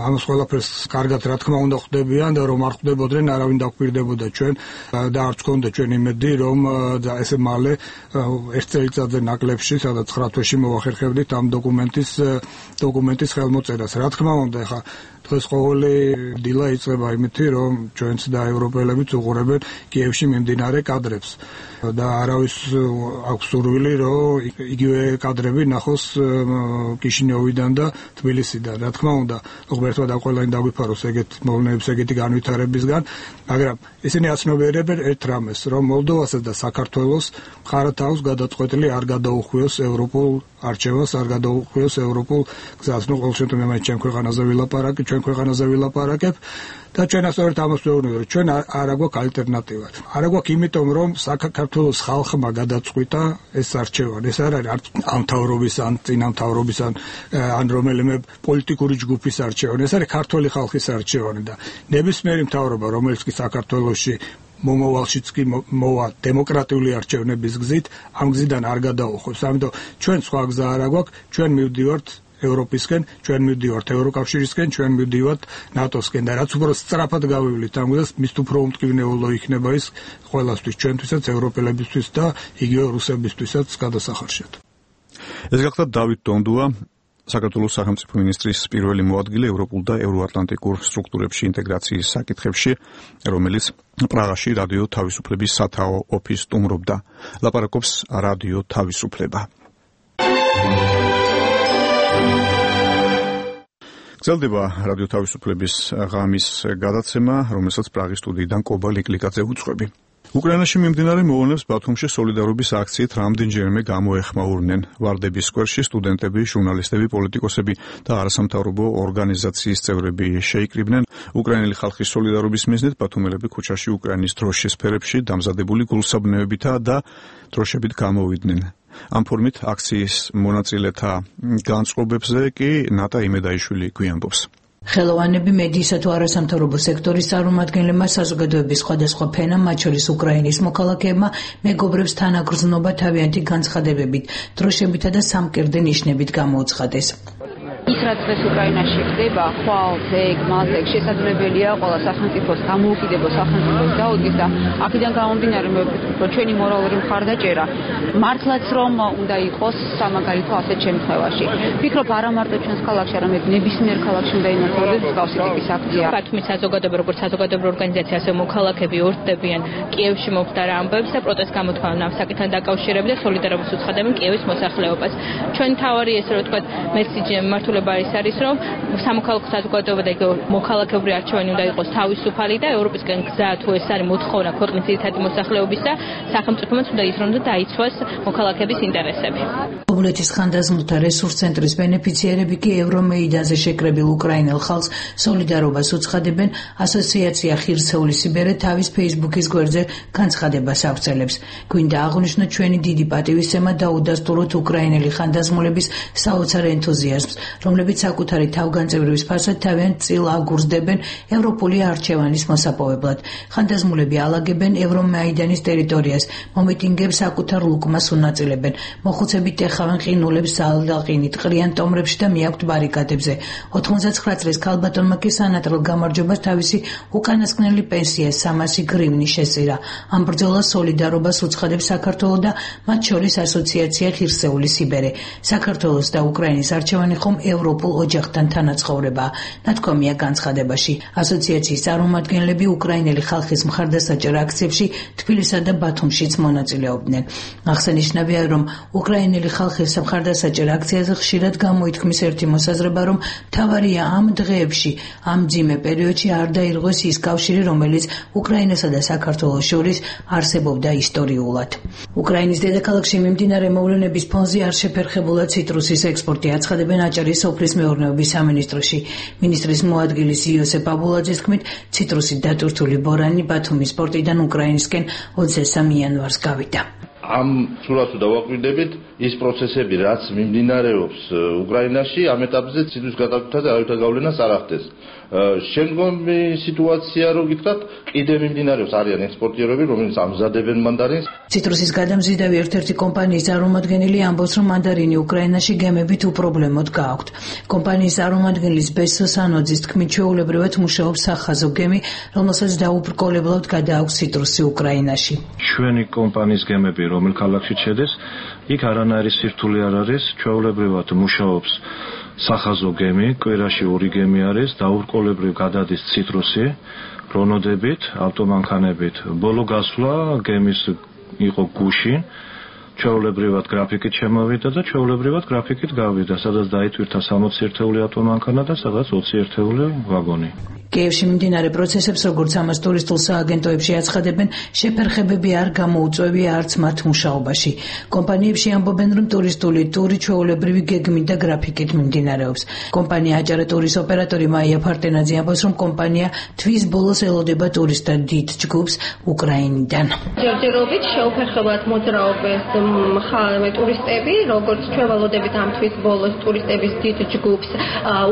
ამას ყველაფერს კარგად რა თქმა უნდა ხვდებიან და რომ არ ხვდებოდნენ, არავინ დაგვირდებოდა ჩვენ და არც გქონდა ჩვენ იმედი, რომ ესე მალე ერთ წელიწადზე ნაკლებში, სადაც ცხრა თვეში მოვახერხებდით ამ დოკუმენტის დოკუმენტის ხელმოწერას. რა თქმა უნდა, ეხა დღეს ყოველი დილა იწყება იმით, რომ ჩვენც და ევროპელებიც უყურებენ კიევში მიმდინარე კადრებს და არავის აქვს სურვილი, რომ იგივე კადრები ნახოს კიშინიოვიდან და თბილისიდან. რა თქმა უნდა, ღმერთმა და ყველანი დაგვიფაროს ეგეთ მოვლენებს, ეგეთი განვითარებისგან, მაგრამ ისინი აცნობიერებენ ერთ რამეს, რომ მოლდოვასაც და საქართველოს მხარათაოს გადაწყვეტილი არ გადაუხვიოს ევროპულ არჩევას, არ გადაუხვიოს ევროპულ გზას. ნუ ყოველ შემთხვევაში მე ჩემ ქვეყანაზე ვილაპარაკე, ჩვენ ქვეყანაზე ვილაპარაკებ და ჩვენ ასწორეთ ამას ვეუბნები, რომ ჩვენ არ აგვაქვს ალტერნატივა. არ აგვაქვს იმიტომ, რომ საქართველოს ხალხმა გადაწყვიტა ეს არჩევანი. ეს არ არის არც ამ მთავრობის ან წინა მთავრობის ან ან რომელიმე პოლიტიკური ჯგუფის არჩევანი. ეს არის ქართული ხალხის არჩევანი და ნებისმიერი მთავრობა, რომელიც კი საქართველოში მომავალშიც კი მოვა დემოკრატიული არჩევნების გზით, ამ გზიდან არ გადაუხვევს. ამიტომ ჩვენ სხვა გზა არ აგვაქვს, ჩვენ მივდივართ ევროპისკენ, ჩვენ მივდივართ ევროკავშირისკენ, ჩვენ მივდივართ ნატოსკენ და რაც უფრო სწრაფად გავივლით ამ გზას, მის უფრო უმტკივნეულო იქნება ის ყველასთვის, ჩვენთვისაც, ევროპელებისთვის და იგივე რუსებისთვისაც გადასახარშად. ეს გახდა დავით დონდუა, საქართველოს სახელმწიფო მინისტრის პირველი მოადგილე ევროპულ და ევროატლანტიკურ სტრუქტურებში ინტეგრაციის საკითხებში, რომელიც პრაღაში რადიო თავისუფლების სათაო ოფისს სტუმრობდა. ლაპარაკობს რადიო თავისუფლება. გრძელდება რადიო თავისუფლების ღამის გადაცემა, რომელსაც პრაღის სტუდიიდან კობა ლიკლიკაძე უძღვები. უკრაინაში მიმდინარე მოვლენებს ბათუმში სოლიდარობის აქციით რამდენჯერმე გამოეხმაურნენ. ვარდების სკვერში სტუდენტები, ჟურნალისტები, პოლიტიკოსები და არასამთავრობო ორგანიზაციის წევრები შეიკრიბნენ. უკრაინელი ხალხის სოლიდარობის მიზნით ბათუმელები ქუჩაში უკრაინის დროშის ფერებში დამზადებული გულსაბნევებითა და დროშებით გამოვიდნენ. ამ ფორმით აქციის მონაწილეთა განწყობებზე კი ნატა იმედაიშვილი გვიანბობს. ხელოვანები მედიისა თუ არასამთავრობო სექტორის წარმომადგენლებმა საზოგადოების სხვადასხვა ფენამ, მათ შორის უკრაინის მოქალაქეებმა, მეგობრებს თანაგრძნობა თავიანთი განცხადებებით, დროშებითა და სამკერდე ნიშნებით გამოუცხადეს. ის რაც დღეს უკრაინაში ხდება, ხვალ, ზეგ, მაზეგ, შესაძლებელია ყველა სახელმწიფოს დამოუკიდებელ სახელმწიფოს გაუდგეს და აქედან გამომდინარე მოვიფიქროთ, რომ ჩვენი მორალური მხარდაჭერა მართლაც რომ უნდა იყოს სამაგალითო ასეთ შემთხვევაში. ვფიქრობ არა მარტო ჩვენს ქალაქში, არამედ ნებისმიერ ქალაქში უნდა იმართებოდეს მსგავსი ტიპის აქცია. ბათუმის საზოგადოება, როგორც საზოგადოებრივი ორგანიზაცია, ასევე მოქალაქეები ორთდებიან კიევში მომხდარ ამბებს და პროტესტ გამოთქვამენ ამ საკითხთან დაკავშირებით და სოლიდარობას უცხადებენ კიევის მოსახლეობას. ჩვენ თავარი ესე რომ ვთქვათ, მესიჯი მართულ ის არის რომ სამოქალაქო საზოგადოება და მოქალაქეობრივი არჩევანი უნდა იყოს თავისუფალი და ევროპისკენ გზა თუ ეს არის მოთხოვნა ქვეყნის ძირითადი მოსახლეობისა, სახელმწიფოებმაც უნდა ის რომ დაიცვას მოქალაქეების ინტერესები. კომუნეთის ხანდაზმულთა რესურს ცენტრის ბენეფიციარები კი ევრომეიდანზე შეკრებილ უკრაინელ ხალხს სოლიდარობას უცხადებენ. ასოციაცია ხირსეული სიბერე თავის ფეისბუქის გვერდზე განცხადებას ავრცელებს. გვინდა აღვნიშნოთ ჩვენი დიდი პატივისცემა და უდასტუროთ უკრაინელი ხანდაზმულების საოცარ ენთუზიაზმს, რომლებიც საკუთარი თავგანწივრების ფარსად თავიანთ წილ აგურზდებენ ევროპული არჩევანის მოსაპოვებლად. ხანდაზმულები ალაგებენ ევრომაიდანის ტერიტორიას, მომიტინგებს საკუთარ ლუკმას უნაწილებენ, მოხუცებით ეხავენ ყინულებს ზალდაყინით, ყრიან ტომრებში და მიაქვთ ბარიკადებზე. ოთხმოცდაცხრა წლის ქალბატონმა კი სანატრელ გამარჯვებას თავისი უკანასკნელი პენსია სამასი გრივნი შესწირა. ამ ბრძოლას სოლიდარობას უცხადებს საქართველო და მათ შორის ასოციაცია ხირსეული სიბერე. საქართველოს და უკრაინის არჩევანი ხომ ევროპულ ოჯახთან თანაცხოვრებაა. ნათქვამია განცხადებაში. ასოციაციის წარმომადგენლები უკრაინელი ხალხის მხარდასაჭერ აქციებში თბილისსა და ბათუმშიც მონაწილეობდნენ. აღსანიშნავია, რომ უკრაინელი ხალხის მხარდასაჭერ აქციაზე ხშირად გამოითქმის ერთი მოსაზრება, რომ მთავარია ამ დღეებში, ამ მძიმე პერიოდში არ დაირღვეს ის კავშირი, რომელიც უკრაინასა და საქართველოს შორის არსებობდა ისტორიულად. უკრაინის დედაქალაქში მიმდინარე მოვლენების ფონზე არ შეფერხებულა ციტრუსის ექსპორტი, აცხადებენ აჭარის სოფლის მეურნეობის სამინისტროში. მინისტრის მოადგილის იოსებ აბულაძის თქმით, ციტრუსით დატვირთული ბორანი ბათუმის პორტიდან უკრაინისკენ ოცდაათი იანვარს გავიდა. ამ სურათს დავაკვირდებით, ის პროცესები, რაც მიმდინარეობს უკრაინაში, ამ ეტაპზე ციტრუსის გადაკვეთაზე არავითარ გავლენას არ ახდენს. შემდგომი სიტუაცია, რო გითხრათ, კიდე მიმდინარეობს, არიან ექსპორტიორები, რომლებიც ამზადებენ მანდარინს. ციტრუსის გადამზიდავი ერთ-ერთი კომპანიის წარმომადგენელი ამბობს, რომ მანდარინი უკრაინაში გემებით უპრობლემოდ გააქვთ. კომპანიის წარმომადგენლის ბესო სანოძის თქმით, ჩვეულებრივად მუშაობს სახაზო გემი, რომელსაც დაუბრკოლებლად გადააქვს ციტრუსი უკრაინაში. ჩვენი კომპანიის გემები რომელ ქალაქში შედეს, იქ არანაირი სირთულე არ არის, ჩვეულებრივად მუშაობს სახაზო გემი, კვირაში ორი გემი არის, დაურყოლებრივ გადადის ციტრუსი, რონოდებით, ავტომანქანებით. ბოლო გასვლა გემის იყო გუშინ, ჩვეულებრივად გრაფიკით შემოვიდა და ჩვეულებრივად გრაფიკით გავიდა, სადაც დაიტვირთა სამოცი ერთეული ავტომანქანა და სადაც ოცი ერთეული ვაგონი. კიევში მიმდინარე პროცესებს, როგორც ამას ტურისტულ სააგენტოებში აცხადებენ, შეფერხებები არ გამოუწვევია არც მათ მუშაობაში. კომპანიებში ამბობენ, რომ ტურისტული ტური ჩვეულებრივი გეგმით და გრაფიკით მიმდინარეობს. კომპანია აჭარა ტურის ოპერატორი მაია ფარტენაძე ამბობს, რომ კომპანია თვის ბოლოს ელოდება ტურისტთა დიდ ჯგუფს უკრაინიდან. ჯერჯერობით შეუფერხებლად მოძრაობენ ხალხი ტურისტები, როგორც ჩვენ ვალოდებით ამ თვის ბოლოს ტურისტების დიდ ჯგუფს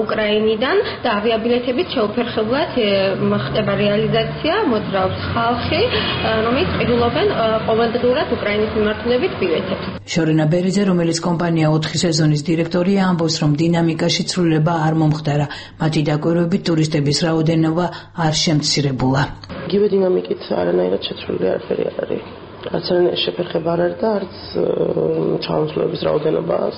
უკრაინიდან და ავიაბილეთებით შეუფერხებლად ხდება რეალიზაცია, მოძრაობს ხალხი, რომელიც ყიდულობენ ყოველდღურად უკრაინის მიმართულებით ბილეთებს. შორენა ბერიძე, რომელიც კომპანია ოთხი სეზონის დირექტორია, ამბობს, რომ დინამიკაში ცვლილება არ მომხდარა. მათი დაკვირვებით ტურისტების რაოდენობა არ შემცირებულა. იგივე დინამიკით არანაირად შეცვლილი არაფერი არ არის. არც არანაირი შეფერხება არ არის და არც ჩამოსვლების რაოდენობას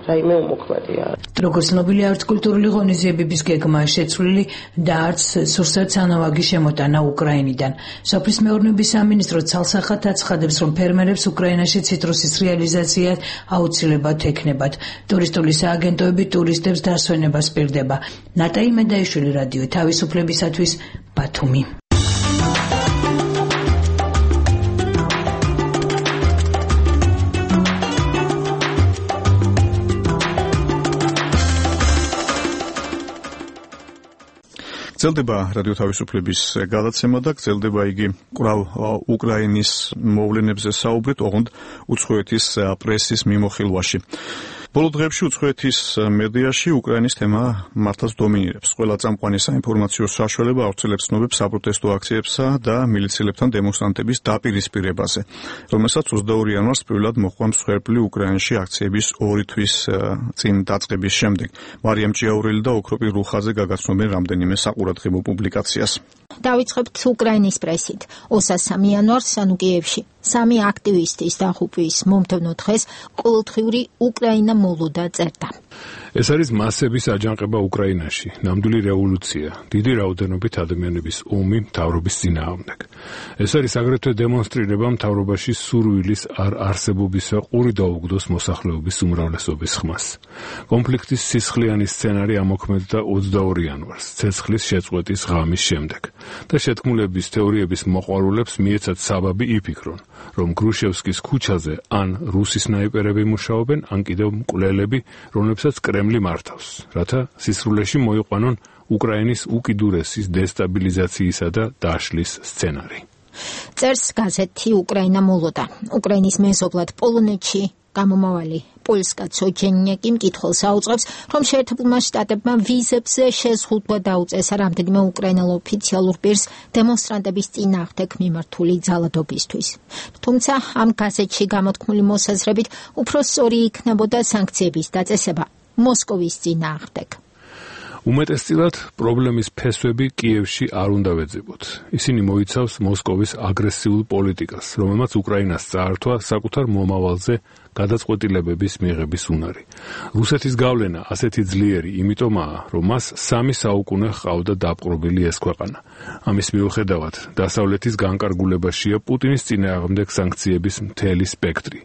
რაიმე უმოქმედია. როგორც ცნობილია, არც კულტურული ღონისძიებების გეგმაა შეცვლილი და არც სურსათ სანავაგი შემოტანა უკრაინიდან. სოფლის მეურნეობის სამინისტრო ცალსახად აცხადებს, რომ ფერმერებს უკრაინაში ციტრუსის რეალიზაცია აუცილებლად ექნებათ. ტურისტული სააგენტოები ტურისტებს დასვენებას პირდება. ნატა იმედაიშვილი, რადიო თავისუფლებისათვის, ბათუმი. გრძელდება რადიო თავისუფლების გადაცემა და გრძელდება იგი კვლავ უკრაინის მოვლენებზე საუბრით, ოღონდ უცხოეთის პრესის მიმოხილვაში. ბოლო დღეებში უცხოეთის მედიაში უკრაინის თემა მართლაც დომინირებს. ყველა წამყვანი საინფორმაციო საშუალება ავრცელებს ცნობებს საპროტესტო აქციებსა და მილიციელებთან დემონსტრანტების დაპირისპირებაზე, რომელსაც ოცდაორი იანვარს პირველად მოჰყვა მსხვერპლი უკრაინაში აქციების ორი თვის წინ დაწყების შემდეგ. მარიამ ჭიაურელი და ოქროპი რუხაძე გაგაცნობენ რამდენიმე საყურადღებო პუბლიკაციას. დავიწყებთ უკრაინის პრესით. ოცდამესამე იანვარს ანუ კიევში სამი აქტივისტის დაღუპვის მომდევნო დღეს ყოველდღიური უკრაინა მოლოდა წერდა. ეს არის მასების აჯანყება უკრაინაში, ნამდვილი რევოლუცია, დიდი რაოდენობით ადამიანების ომი მთავრობის წინააღმდეგ. ეს არის აგრეთვე დემონსტრირება მთავრობაში სურვილის არ არსებობისა ყური დაუგდოს მოსახლეობის უმრავლესობის ხმას. კონფლიქტის სისხლიანი სცენარი ამოქმედდა ოცდაორი იანვარს, ცეცხლის შეწყვეტის ღამის შემდეგ და შეთქმულების თეორიების მოყვარულებს მიეცათ საბაბი იფიქრონ, რომ გრუშევსკის ქუჩაზე ან რუსი სნაიპერები მუშაობენ, ან კიდევ მკვლელები, რომლებსაც კრემლი მართავს, რათა სისრულეში მოიყვანონ უკრაინის უკიდურესის დესტაბილიზაციისა და დაშლის სცენარი. წერს გაზეთი უკრაინა მოლოდა. უკრაინის მეზობლად პოლონეთში გამომავალი პოლსკა ცოჩენიაკი მკითხველს აუწყებს, რომ შეერთებულმა შტატებმა ვიზებზე შეზღუდვა დაუწესა რამდენიმე უკრაინელ ოფიციალურ პირს დემონსტრანტების წინააღმდეგ მიმართული ძალადობისთვის. თუმცა ამ გაზეთში გამოთქმული მოსაზრებით უფრო სწორი იქნებოდა სანქციების დაწესება მოსკოვის წინააღმდეგ. უმეტესწილად პრობლემის ფესვები კიევში არ უნდა ვეძებოთ. ისინი მოიცავს მოსკოვის აგრესიულ პოლიტიკას, რომელმაც უკრაინას წაართვა საკუთარ მომავალზე გადაწყვეტილებების მიღების უნარი. რუსეთის გავლენა ასეთი ძლიერი იმიტომაა, რომ მას სამი საუკუნე ჰყავდა დაპყრობილი ეს ქვეყანა. ამის მიუხედავად, დასავლეთის განკარგულებაშია პუტინის წინააღმდეგ სანქციების მთელი სპექტრი.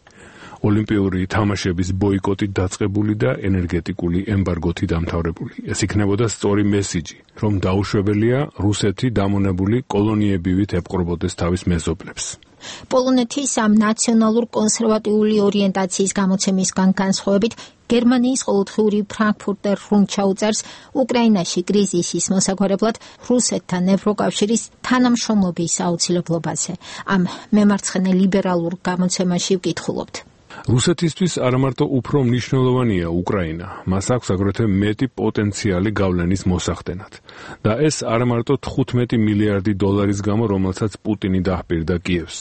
ოლიმპიური თამაშების ბოიკოტით დაწყებული და ენერგეტიკული ემბარგოთი დამთავრებული. ეს იქნებოდა სწორი მესიჯი, რომ დაუშვებელია რუსეთი დამონებული კოლონიებივით ეპყრობოდეს თავის მეზობლებს. პოლონეთის ამ ნაციონალურ კონსერვატიული ორიენტაციის გამოცემისგან განსხვავებით, გერმანიის ყოველდღიური ფრანკფურტერ რუნდ უწერს უკრაინაში კრიზისის მოსაგვარებლად რუსეთთან ევროკავშირის თანამშრომლობის აუცილებლობაზე. ამ მემარცხენე ლიბერალურ გამოცემაში ვკითხულობთ. რუსეთისთვის არამარტო უფრო მნიშვნელოვანია უკრაინა, მას აქვს აგრეთვე მეტი პოტენციალი გავლენის მოსახდენად. და ეს არამარტო თხუთმეტი მილიარდი დოლარის გამო, რომელსაც პუტინი დაჰპირდა კიევს.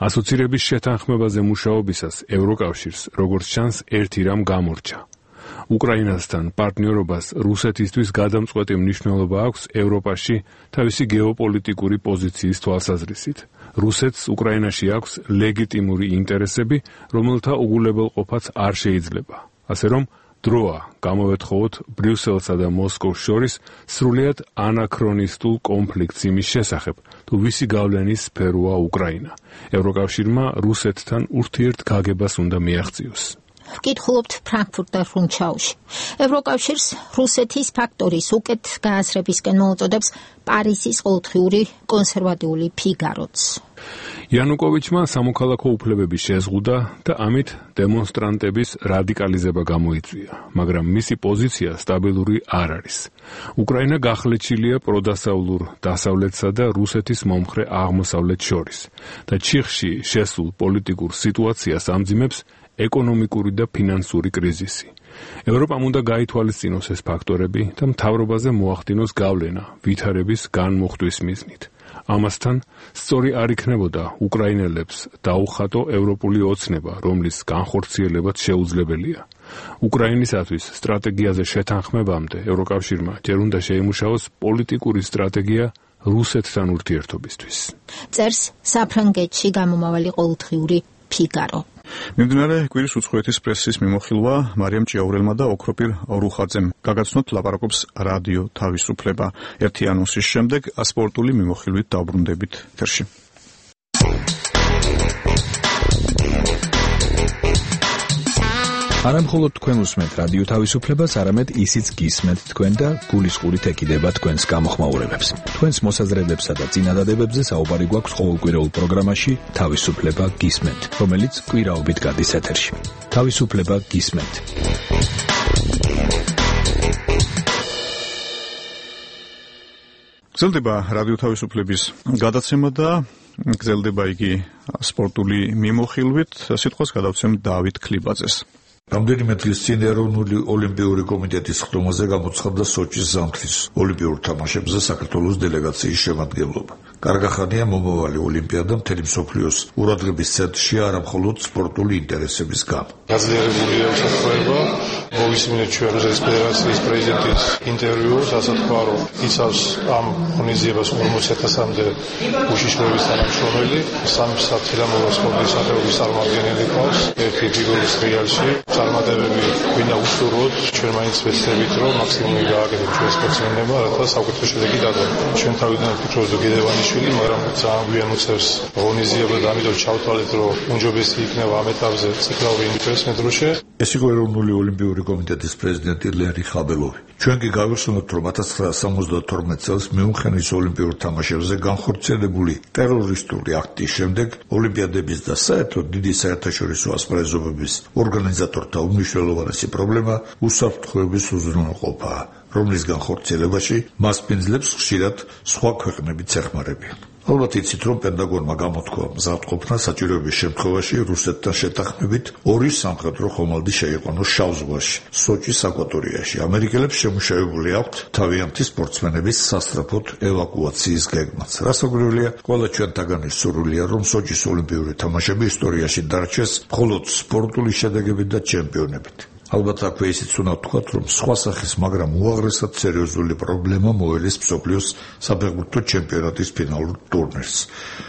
ასოცირების შეთანხმებაზე მუშაობისას ევროკავშირს, როგორც ჩანს, ერთი რამ გამორჩა. უკრაინასთან პარტნიორობას რუსეთისთვის გადამწყვეტი მნიშვნელობა აქვს ევროპაში თავისი გეოპოლიტიკური პოზიციის თვალსაზრისით. რუსეთს უკრაინაში აქვს ლეგიტიმური ინტერესები, რომელთა უგულებელყოფაც არ შეიძლება. ასე რომ, დროა გამოვეთხოვოთ ბრიუსელსა და მოსკოვს შორის სრულიად ანაქრონისტულ კონფლიქტს იმის შესახებ, თუ ვისი გავლენის სფეროა უკრაინა. ევროკავშირმა რუსეთთან ურთიერთგაგებას უნდა მიაღწიოს. ვკითხულობთ ფრანკფურტერ რუნდში. ევროკავშირს რუსეთის ფაქტორის უკეთ გააზრებისკენ მოუწოდებს პარიზის ყოველდღიური კონსერვატიული ფიგაროც. იანუკოვიჩმა სამოქალაქო უფლებები შეზღუდა და ამით დემონსტრანტების რადიკალიზება გამოიწვია, მაგრამ მისი პოზიცია სტაბილური არ არის. უკრაინა გახლეჩილია პროდასავლურ დასავლეთსა და რუსეთის მომხრე აღმოსავლეთ შორის და ჩიხში შესულ პოლიტიკურ სიტუაციას ამძიმებს ეკონომიკური და ფინანსური კრიზისი. ევროპამ უნდა გაითვალისწინოს ეს ფაქტორები და მთავრობაზე მოახდინოს გავლენა ვითარების განმუხტვის მიზნით. ამასთან სწორი არ იქნებოდა უკრაინელებს დაუხატო ევროპული ოცნება, რომლის განხორციელებაც შეუძლებელია. უკრაინისათვის სტრატეგიაზე შეთანხმებამდე ევროკავშირმა ჯერ უნდა შეიმუშაოს პოლიტიკური სტრატეგია რუსეთთან ურთიერთობისთვის. წერს საფრანგეთში გამომავალი ყოველდღიური ფიგარო. მიმდინარე კვირის უცხოეთის პრესის მიმოხილვა მარიამ ჭიაურელმა და ოქროპირ რუხაძემ გაგაცნოთ ლაპარაკობს რადიო თავისუფლება. ერთი ანონსის შემდეგ სპორტული მიმოხილვით დავბრუნდებით ეთერში. არა მხოლოდ თქვენ უსმენთ რადიო თავისუფლებას, არამედ ისიც გისმენთ თქვენ და გულისყურით ეკიდება თქვენს გამოხმაურებებს. თქვენს მოსაზრებებსა და წინადადებებზე საუბარი გვაქვს ყოველკვირეულ პროგრამაში თავისუფლება გისმენთ, რომელიც კვირაობით გადის ეთერში. თავისუფლება გისმენთ. გრძელდება რადიო თავისუფლების გადაცემა და გრძელდება იგი სპორტული მიმოხილვით. სიტყვას გადავცემ დავით ქლიბაძეს. რამდენიმე დღის წინ ეროვნული ოლიმპიური კომიტეტის ხდომაზე გამოცხადდა სოჩის ზამთრის ოლიმპიურ თამაშებზე საქართველოს დელეგაციის შემადგენლობა. კარგახანია მომავალი ოლიმპიადა მთელი მსოფლიოს ყურადღების ცენტრშია არა მხოლოდ სპორტული ინტერესების გამო. გაძლიერებულია უსაფრთხოება, მოვისმინეთ ჩვენ რუსეთის ფედერაციის პრეზიდენტის ინტერვიუს, ასე თქვა, რომ იცავს ამ ღონისძიებას ორმოცი ათასამდე უშიშროების თანამშრომელი, სამი საფრთხილამურა სპორტის სახეობის წარმომადგენელი ყავს, ერთი ფიგურის რეალში. წარმატებები გვინდა უსურვოთ, ჩვენ მაინც ვეცდებით, რომ მაქსიმუმი გააკეთოთ ჩვენ სპორტსმენებმა, რათა საუკეთესო შედეგი დაგხვდეთ. ჩვენ თავიდან ვფიქრობთ, რომ გედევანიშვილი, მაგრამ ძალიან გვიან უწევს ღონისძიება და ამიტომ ჩავთვალეთ, რომ უმჯობესი იქნება ამ ეტაპზე ციკლური ინტერესი მე დროშე. ეს იყო ეროვნული ოლიმპიური კომიტეტის პრეზიდენტი ლერი ხაბელოვი. ჩვენ კი გავიხსენოთ, რომ ათას ცხრაასა სამოცდათორმეტ წელს მიუნხენის ოლიმპიურ თამაშებზე განხორციელებული ტერორისტული აქტის შემდეგ ოლიმპიადების და საერთოდ დიდი საერთაშორისო ასპარეზობების ორგანიზატორთა უმნიშვნელოვანესი პრობლემა უსაფრთხოების უზრუნველყოფაა, რომლის განხორციელებაში მასპინძლებს ხშირად სხვა ქვეყნებიც ეხმარებიან. ალბათ იცით, რომ პენტაგონმა გამოთქვა მზადყოფნა საჭიროების შემთხვევაში რუსეთთან შეთანხმებით ორი სამხედრო ხომალდი შეიყვანოს შავ ზღვაში, სოჩის აკვატორიაში. ამერიკელებს შემუშავებული აქვთ თავიანთი სპორტსმენების სასწრაფოდ ევაკუაციის გეგმაც. რასაკვირველია, ყველა ჩვენთაგანის სურვილია, რომ სოჩის ოლიმპიური თამაშები ისტორიაში დარჩეს მხოლოდ სპორტული შედეგებით და ჩემპიონებით. ალბათ აქვე ისიც უნდა ვთქვათ, რომ სხვა სახის, მაგრამ უაღრესად სერიოზული პრობლემა მოელის მსოფლიოს საფეხბურთო ჩემპიონატის ფინალურ ტურნირს.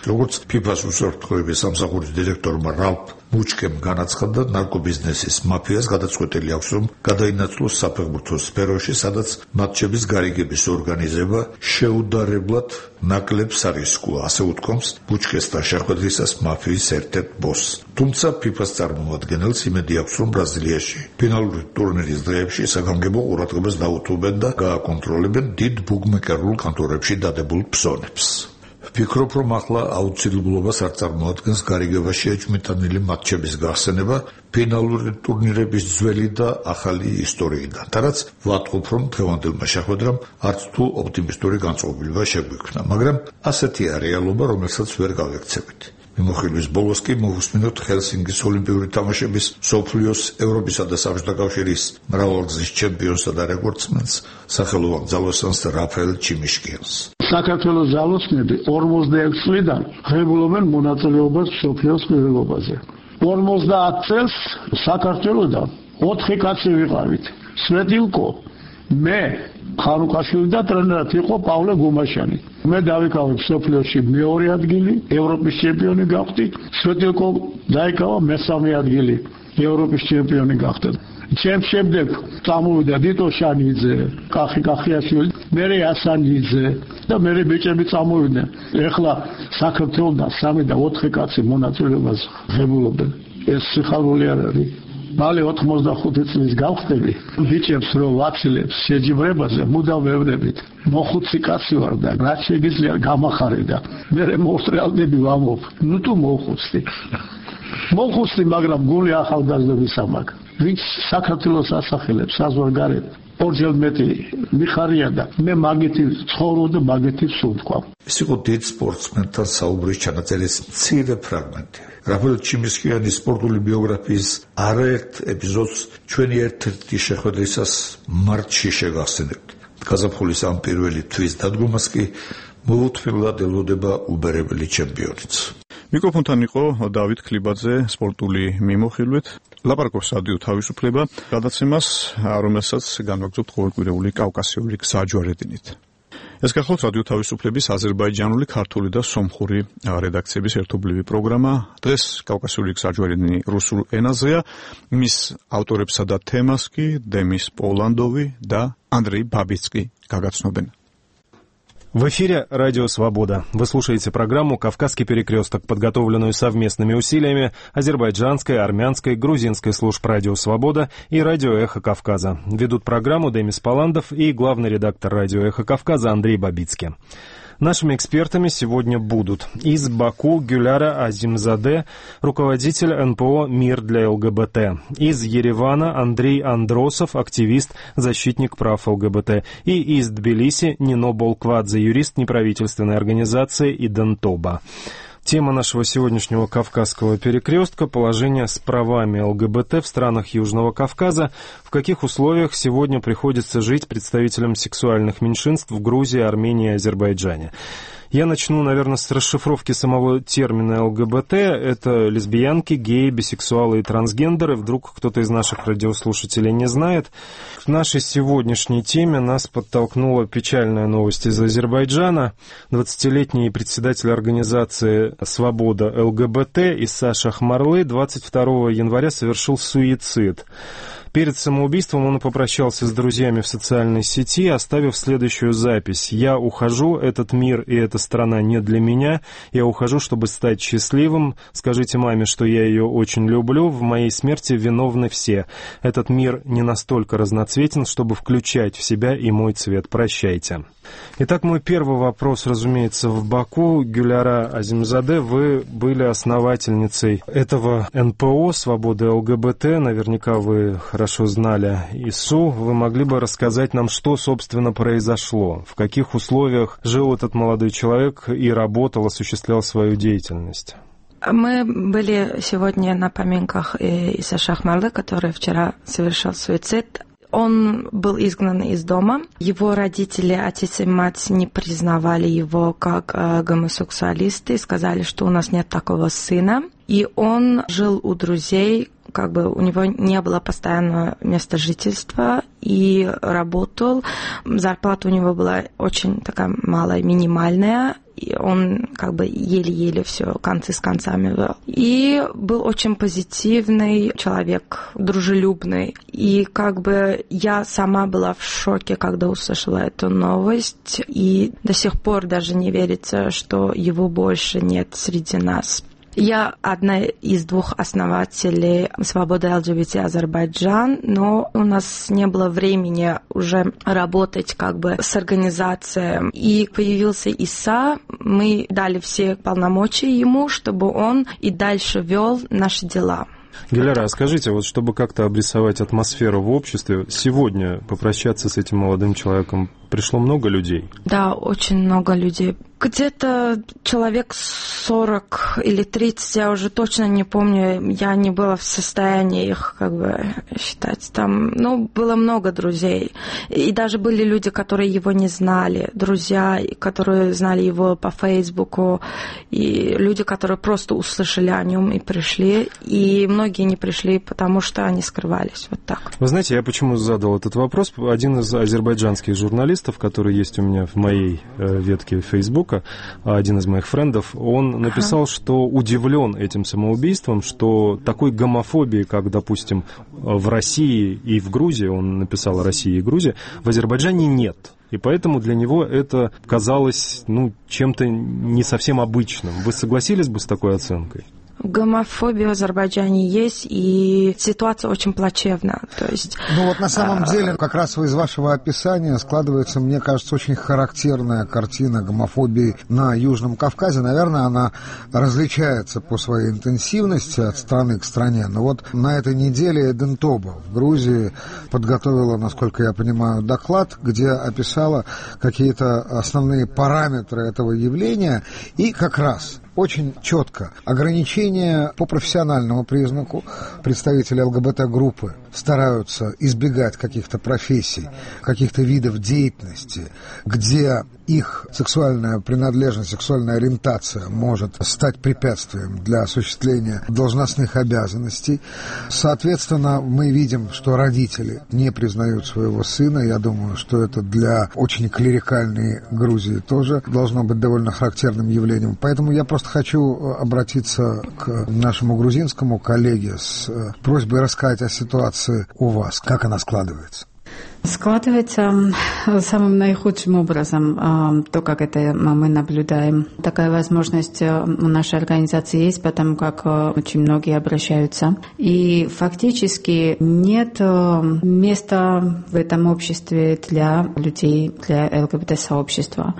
როგორც ფიფას უსაფრთხოების სამსახურის დირექტორმა რალფ მუჩკემ განაცხადა, ნარკობიზნესის მაფიას გადაწყვეტილი აქვს, რომ გადაინაცვლოს საფეხბურთო სფეროში, სადაც მატჩების გარიგების ორგანიზება შეუდარებლად ნაკლებს არისკოა, ასე უთქვამს მუჩკესთან შეხვედრისას მაფიის ერთ-ერთ ბოსს. თუმცა ფიფას წარმომადგენელს იმედი აქვს, რომ ბრაზილიაში ფინალური ტურნირის დღეებში საგანგებო ყურადღებას დაუთმობენ და გააკონტროლებენ დიდ ბუქმეკერულ კანტორებში დადებულ ფსონებს. ვფიქრობ, რომ ახლა აუცილებლობას არ წარმოადგენს გარიგებაში ეჭვმიტანილი მატჩების გახსენება ფინალური ტურნირების ძველი და ახალი ისტორიიდან. და რაც ვატყობ, რომ დღევანდელმა შეხვედრამ არც თუ ოპტიმისტური განწყობილება შეგვიქმნა, მაგრამ ასეთია რეალობა, რომელსაც ვერ გავექცევით. მიმოხილვის ბოლოს კი მოვუსმინოთ ჰელსინკის ოლიმპიური თამაშების მსოფლიოს, ევროპისა და საბჭოთა კავშირის მრავალგზის ჩემპიონსა და რეკორდსმენს, სახელოვან ძალოსანს რაფაელ ჩიმიშკიანს. საქართველოს ძალოსნები ორმოცდაექვსი წლიდან ღებულობენ მონაწილეობას მსოფლიოს პირველობაზე. ორმოცდაათ წელს საქართველოსთან ოთხი კაცი ვიყავით. სვეტილკო, მე, ხანუკაშვილი და ტრენერად იყო პავლე გუმაშანი. მე დავიკავე მსოფლიოში მეორე ადგილი, ევროპის ჩემპიონი გავხდი. სვეტილკო დაიკავა მესამე ადგილი, ევროპის ჩემპიონი გახდა. ჩემ შემდეგ წამოვიდა დიტო შანიძე, კახი კახიაშვილი, მერე ასანიძე და მერე ბიჭები წამოვიდნენ. ეხლა საქართველოსთან სამი და ოთხი კაცი მონაწილეობას ღებულობენ. ეს სიხარული არ არის. მალე ოთხმოცდახუთი წლის გავხდები, ბიჭებს რომ ვაცილებს შეჯიბრებაზე, მუდამ ვეუბნებით. მოხუცი კაცი ვარ და რაც შეგიძლია გამახარე და მე მოუსწრალდები ვამობ. ნუ თუ მოხუცი. მოხუცი, მაგრამ გული ახალგაზრდობის ამაკ. ვინც საქართველოს ასახელებს საზღვარგარეთ, ორჯერ მეტი მიხარია და მე მაგეთი ცხოვრობ და მაგეთი სულთქვა. ეს იყო დიდ სპორტსმენთან საუბრის ჩანაწერის მცირე ფრაგმენტი. რაფაელ ჩიმიშკიანის სპორტული ბიოგრაფიის არაერთ ეპიზოდს ჩვენი ერთ-ერთი შეხვედრისას მარტში შეგახსენებთ. გაზაფხულის ამ პირველი თვის დადგომას კი მოუთმილად ელოდება უბერებელი ჩემპიონიც. მიკროფონთან იყო დავით ქლიბაძე სპორტული მიმოხილვით. ლაპარაკობს რადიო თავისუფლება გადაცემას, რომელსაც განვაგრძობთ ყოველკვირეული კავკასიური გზაჯვარედინით. ეს გახლავთ რადიო თავისუფლების აზერბაიჯანული, ქართული და სომხური რედაქციების ერთობლივი პროგრამა. დღეს კავკასიური გზაჯვარედინი რუსულ ენაზეა. მის ავტორებსა და თემას კი დემის პოლანდოვი და ანდრей ბაბიცკი გაგაცნობენ. В эфире «Радио Свобода». Вы слушаете программу «Кавказский перекресток», подготовленную совместными усилиями азербайджанской, армянской, грузинской служб «Радио Свобода» и «Радио Эхо Кавказа». Ведут программу Демис Поландов и главный редактор «Радио Эхо Кавказа» Андрей Бабицкий. Нашими экспертами сегодня будут из Баку Гюляра Азимзаде, руководитель эн пэ о «Мир для ЛГБТ», из Еревана Андрей Андросов, активист, защитник прав ЛГБТ, и из Тбилиси Нино Болквадзе, юрист неправительственной организации «Идентоба». Тема нашего сегодняшнего Кавказского перекрестка – положение с правами ЛГБТ в странах Южного Кавказа. В каких условиях сегодня приходится жить представителям сексуальных меньшинств в Грузии, Армении и Азербайджане? Я начну, наверное, с расшифровки самого термина ЛГБТ. Это лесбиянки, геи, бисексуалы и трансгендеры. Вдруг кто-то из наших радиослушателей не знает. К нашей сегодняшней теме нас подтолкнула печальная новость из Азербайджана. двадцатилетний председатель организации «Свобода ЛГБТ» Иса Шахмарлы двадцать второго января совершил суицид. Перед самоубийством он попрощался с друзьями в социальной сети, оставив следующую запись. «Я ухожу, этот мир и эта страна не для меня. Я ухожу, чтобы стать счастливым. Скажите маме, что я ее очень люблю. В моей смерти виновны все. Этот мир не настолько разноцветен, чтобы включать в себя и мой цвет. Прощайте». Итак, мой первый вопрос, разумеется, в Баку. Гюляра Азимзаде, вы были основательницей этого эн пэ о «Свобода ЛГБТ». Наверняка вы хорошо знали Ису. Вы могли бы рассказать нам, что, собственно, произошло? В каких условиях жил этот молодой человек и работал, осуществлял свою деятельность? Мы были сегодня на поминках Иса Шахмарлы, который вчера совершил суицид. Он был изгнан из дома. Его родители, отец и мать, не признавали его как э, гомосексуалисты, сказали, что у нас нет такого сына. И он жил у друзей, как бы у него не было постоянного места жительства, и работал. Зарплата у него была очень такая малая, минимальная. И он как бы еле-еле все концы с концами вел. И был очень позитивный человек, дружелюбный. И как бы я сама была в шоке, когда услышала эту новость. И до сих пор даже не верится, что его больше нет среди нас. Я одна из двух основателей «Свободы ЛГБТ Азербайджан», но у нас не было времени уже работать как бы с организацией. И появился Иса, мы дали все полномочия ему, чтобы он и дальше вел наши дела. Гюляра, скажите, вот чтобы как-то обрисовать атмосферу в обществе, сегодня попрощаться с этим молодым человеком пришло много людей? Да, очень много людей. Где-то человек сорок или тридцать, я уже точно не помню, я не была в состоянии их как бы считать. Там, ну, было много друзей. И даже были люди, которые его не знали, друзья, которые знали его по Фейсбуку, и люди, которые просто услышали о нем и пришли. И многие не пришли, потому что они скрывались. Вот так. Вы знаете, я почему задал этот вопрос? Один из азербайджанских журналистов, который есть у меня в моей ветке Фейсбука, один из моих френдов, он написал, ага. что удивлен этим самоубийством, что такой гомофобии, как, допустим, в России и в Грузии, он написал о России и Грузии, в Азербайджане нет. И поэтому для него это казалось, ну, чем-то не совсем обычным. Вы согласились бы с такой оценкой? Гомофобия в Азербайджане есть, и ситуация очень плачевна. То есть, ну вот на самом а... деле, как раз из вашего описания складывается, мне кажется, очень характерная картина гомофобии на Южном Кавказе. Наверное, она различается по своей интенсивности от страны к стране. Но вот на этой неделе Идентоба в Грузии подготовила, насколько я понимаю, доклад, где описала какие-то основные параметры этого явления, и как раз очень четко ограничения по профессиональному признаку. Представители ЛГБТ-группы стараются избегать каких-то профессий, каких-то видов деятельности, где их сексуальная принадлежность, сексуальная ориентация может стать препятствием для осуществления должностных обязанностей. Соответственно, мы видим, что родители не признают своего сына. Я думаю, что это для очень клерикальной Грузии тоже должно быть довольно характерным явлением. Поэтому я просто хочу обратиться к нашему грузинскому коллеге с просьбой рассказать о ситуации у вас, как она складывается. Складывается самым наихудшим образом то, как это мы наблюдаем. Такая возможность у нашей организации есть, потому как очень многие обращаются. И фактически нет места в этом обществе для людей, для ЛГБТ-сообщества.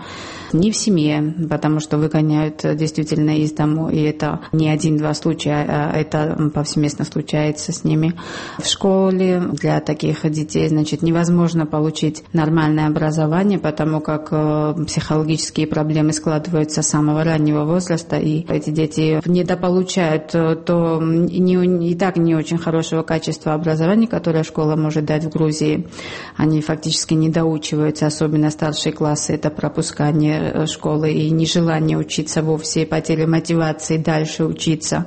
Не в семье, потому что выгоняют действительно из дому, и это не один-два случая, а это повсеместно случается с ними. В школе для таких детей, значит, невозможно получить нормальное образование, потому как психологические проблемы складываются с самого раннего возраста, и эти дети недополучают то не, и так не очень хорошего качества образования, которое школа может дать в Грузии. Они фактически не доучиваются, особенно старшие классы, это пропускание школы и нежелание учиться вовсе, потеря мотивации дальше учиться.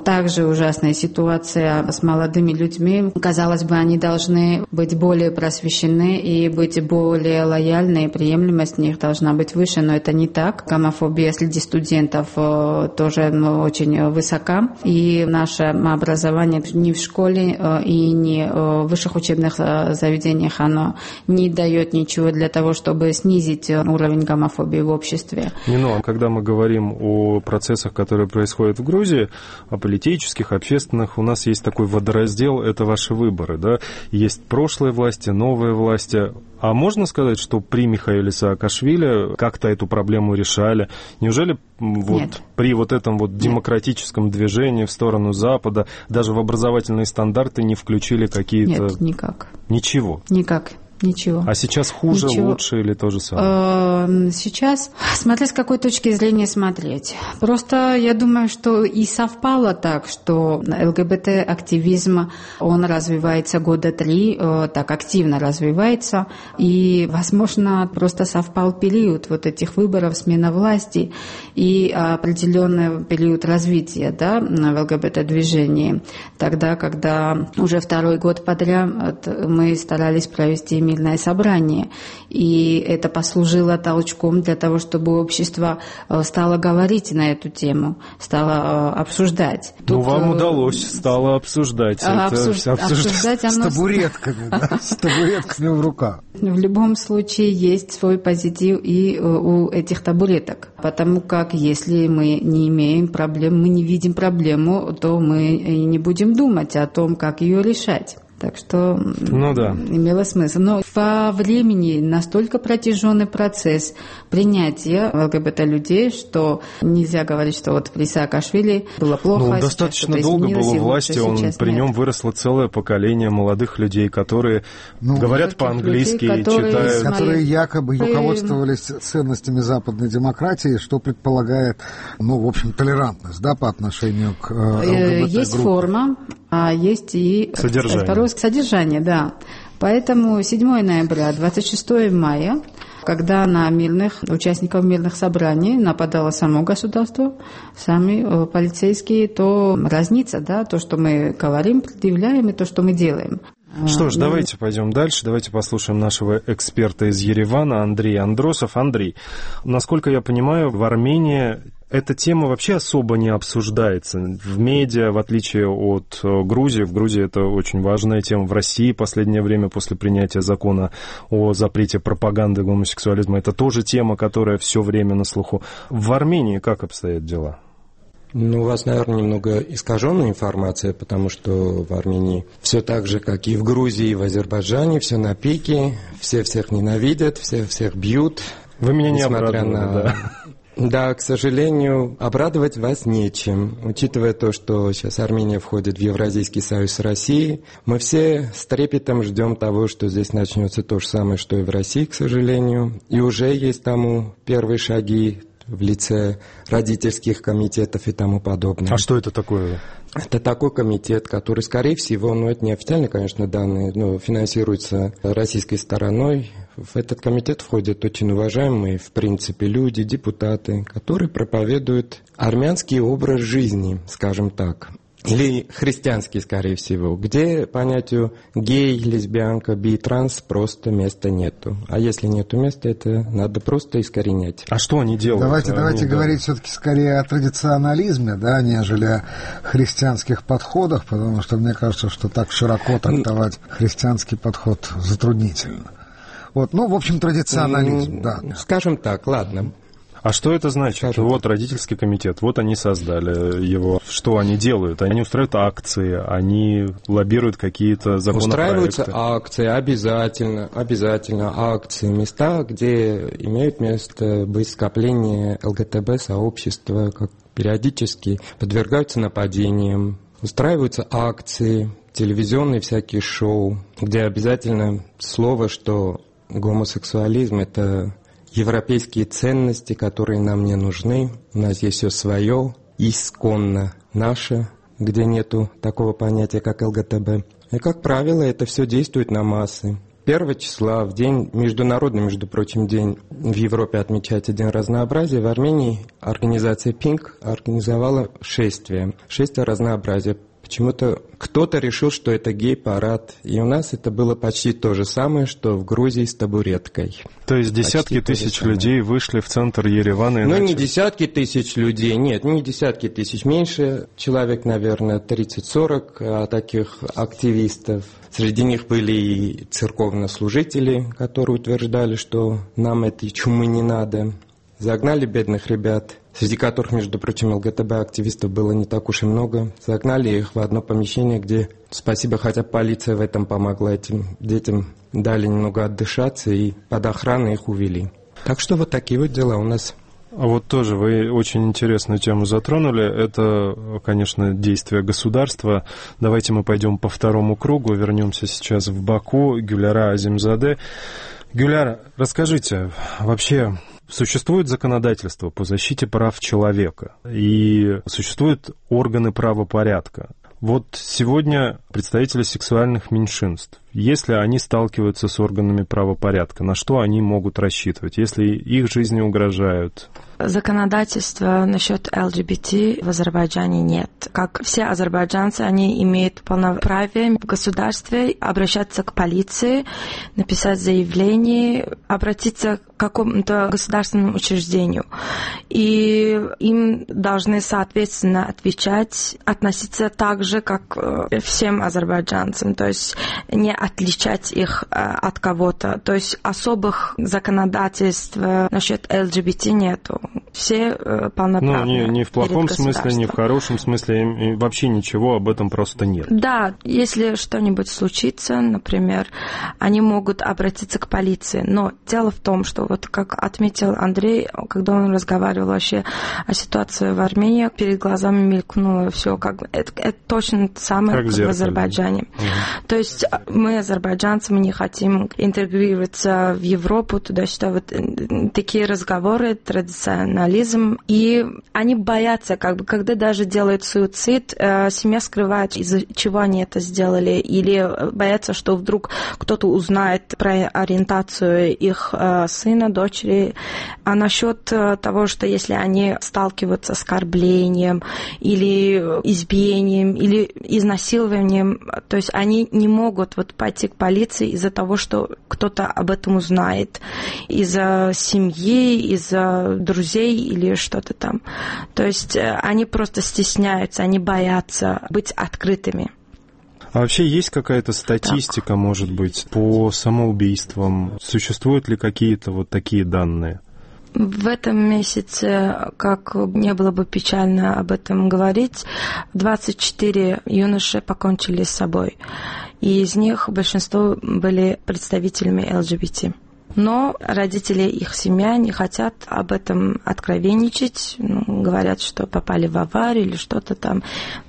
Также ужасная ситуация с молодыми людьми. Казалось бы, они должны быть более просвещены и быть более лояльны, и приемлемость у них должна быть выше, но это не так. Гомофобия среди студентов тоже ну, очень высока, и наше образование ни в школе и ни в высших учебных заведениях оно не дает ничего для того, чтобы снизить уровень гомофобии в обществе. Нино, когда мы говорим о процессах, которые происходят в Грузии, о политических, общественных, у нас есть такой водораздел, это ваши выборы, да? Есть прошлые власти, новые власти. А можно сказать, что при Михаиле Саакашвили как-то эту проблему решали? Неужели вот при вот этом вот демократическом движении в сторону Запада даже в образовательные стандарты не включили какие-то... Нет, никак. Ничего? Никак. Ничего. А сейчас хуже, Ничего. лучше или то же самое? Сейчас, смотря с какой точки зрения смотреть. Просто я думаю, что и совпало так, что ЛГБТ-активизм, он развивается года три, так активно развивается, и, возможно, просто совпал период вот этих выборов, смена власти и определенный период развития, да, в ЛГБТ-движении. Тогда, когда уже второй год подряд мы старались провести мирное собрание, и это послужило толчком для того, чтобы общество стало говорить на эту тему, стало обсуждать. Ну, Тут, вам удалось, стало обсуждать. А, это обсуж... обсуждать. обсуждать оно... С табуретками, да, с табуретками в руках. В любом случае есть свой позитив и у этих табуреток, потому как если мы не имеем проблем, мы не видим проблему, то мы и не будем думать о том, как ее решать. Так что ну, да. имело смысл. Но по времени настолько протяженный процесс принятия ЛГБТ-людей, что нельзя говорить, что вот при Саакашвили было плохо. Ну, он достаточно долго был у власти, он, при нем выросло целое поколение молодых людей, которые ну, говорят по-английски и читают. Которые якобы руководствовались ценностями западной демократии, что предполагает, ну, в общем, толерантность, да, по отношению к ЛГБТ-группе. Есть форма, а есть и содержание. Содержание, да. Поэтому седьмого ноября, двадцать шестого мая, когда на мирных, участников мирных собраний нападало само государство, сами полицейские, то разница, да, то, что мы говорим, предъявляем, и то, что мы делаем. Что ж, давайте пойдем дальше, давайте послушаем нашего эксперта из Еревана, Андрей Андросов. Андрей, насколько я понимаю, в Армении эта тема вообще особо не обсуждается в медиа, в отличие от Грузии. В Грузии это очень важная тема. В России в последнее время, после принятия закона о запрете пропаганды гомосексуализма, это тоже тема, которая все время на слуху. В Армении как обстоят дела? Ну, у вас, наверное, немного искаженная информация, потому что в Армении все так же, как и в Грузии, и в Азербайджане, все на пике, все всех ненавидят, все всех бьют. Вы меня не обрадовали, на... да. Да, к сожалению, обрадовать вас нечем. Учитывая то, что сейчас Армения входит в Евразийский союз с Россией, мы все с трепетом ждем того, что здесь начнется то же самое, что и в России, к сожалению. И уже есть тому первые шаги в лице родительских комитетов и тому подобное. А что это такое? Это такой комитет, который, скорее всего, ну, это не официальные, конечно, данные, но финансируется российской стороной. В этот комитет входят очень уважаемые, в принципе, люди, депутаты, которые проповедуют армянский образ жизни, скажем так. или христианский, скорее всего, где понятию гей, лесбиянка, би, транс просто места нету. А если нету места, это надо просто искоренять. А что они делают? Давайте, они, давайте да. говорить все-таки скорее о традиционализме, да, нежели о христианских подходах, потому что мне кажется, что так широко трактовать христианский подход затруднительно. Вот, ну, в общем, традиционализм, да. Скажем так, ладно. А что это значит? Скажем вот так. Родительский комитет, вот они создали его. Что они делают? Они устраивают акции, они лоббируют какие-то законопроекты. Устраиваются акции, обязательно, обязательно акции, места, где имеют место быть скопление ЛГТБ-сообщества, как периодически подвергаются нападениям. Устраиваются акции, телевизионные всякие шоу, где обязательно слово, что гомосексуализм – это европейские ценности, которые нам не нужны. У нас есть все свое, исконно наше, где нету такого понятия, как ЛГТБ. И, как правило, это все действует на массы. Первого числа, в день, международный, между прочим, день в Европе отмечается День разнообразия, в Армении организация пинк организовала шествие, шествие разнообразия. Почему-то кто-то решил, что это гей-парад, и у нас это было почти то же самое, что в Грузии с табуреткой. То есть десятки почти тысяч людей вышли в центр Еревана и Ну, начали... не десятки тысяч людей, нет, не десятки тысяч, меньше человек, наверное, тридцать-сорок таких активистов. Среди них были и церковнослужители, которые утверждали, что нам этой чумы не надо. Загнали бедных ребят, среди которых, между прочим, ЛГТБ-активистов было не так уж и много. Загнали их в одно помещение, где, спасибо, хотя полиция в этом помогла этим детям, дали немного отдышаться и под охраной их увели. Так что вот такие вот дела у нас. А вот тоже вы очень интересную тему затронули. Это, конечно, действие государства. Давайте мы пойдем по второму кругу, вернемся сейчас в Баку. Гюляра Азимзаде. Гюляра, расскажите, вообще... Существует законодательство по защите прав человека и существуют органы правопорядка. Вот сегодня представители сексуальных меньшинств, если они сталкиваются с органами правопорядка, на что они могут рассчитывать, если их жизни угрожают? Законодательства насчет ЛГБТ в Азербайджане нет. Как все азербайджанцы, они имеют полноправие в государстве обращаться к полиции, написать заявление, обратиться к какому-то государственному учреждению. И им должны, соответственно, отвечать, относиться так же, как всем азербайджанцам, то есть не отличать их от кого-то. То есть особых законодательств насчет ЛГБТ нету. Все полноправные. Ну, не, не в плохом смысле, не в хорошем смысле, и вообще ничего об этом просто нет. Да, если что-нибудь случится, например, они могут обратиться к полиции. Но дело в том, что вот как отметил Андрей, когда он разговаривал вообще о ситуации в Армении, перед глазами мелькнуло все, как это, это точно самое, как, как в Азербайджане. Угу. То есть мы, азербайджанцы, мы не хотим интегрироваться в Европу, туда-сюда. Вот такие разговоры, традиционализм, и они боятся, как бы, когда даже делают суицид, э, семья скрывает, из-за чего они это сделали, или боятся, что вдруг кто-то узнает про ориентацию их э, сына, дочери. А насчет э, того, что если они сталкиваются с оскорблением, или избиением, или изнасилованием, то есть они не могут вот пойти к полиции из-за того, что кто-то об этом узнает, из-за семьи, из-за друзей или что-то там. То есть они просто стесняются, они боятся быть открытыми. А вообще есть какая-то статистика, так. может быть, по самоубийствам? Существуют ли какие-то вот такие данные? В этом месяце, как не было бы печально об этом говорить, двадцать четыре юноши покончили с собой. И из них большинство были представителями ЛГБТ. Но родители, их семья не хотят об этом откровенничать, ну, говорят, что попали в аварию или что-то там.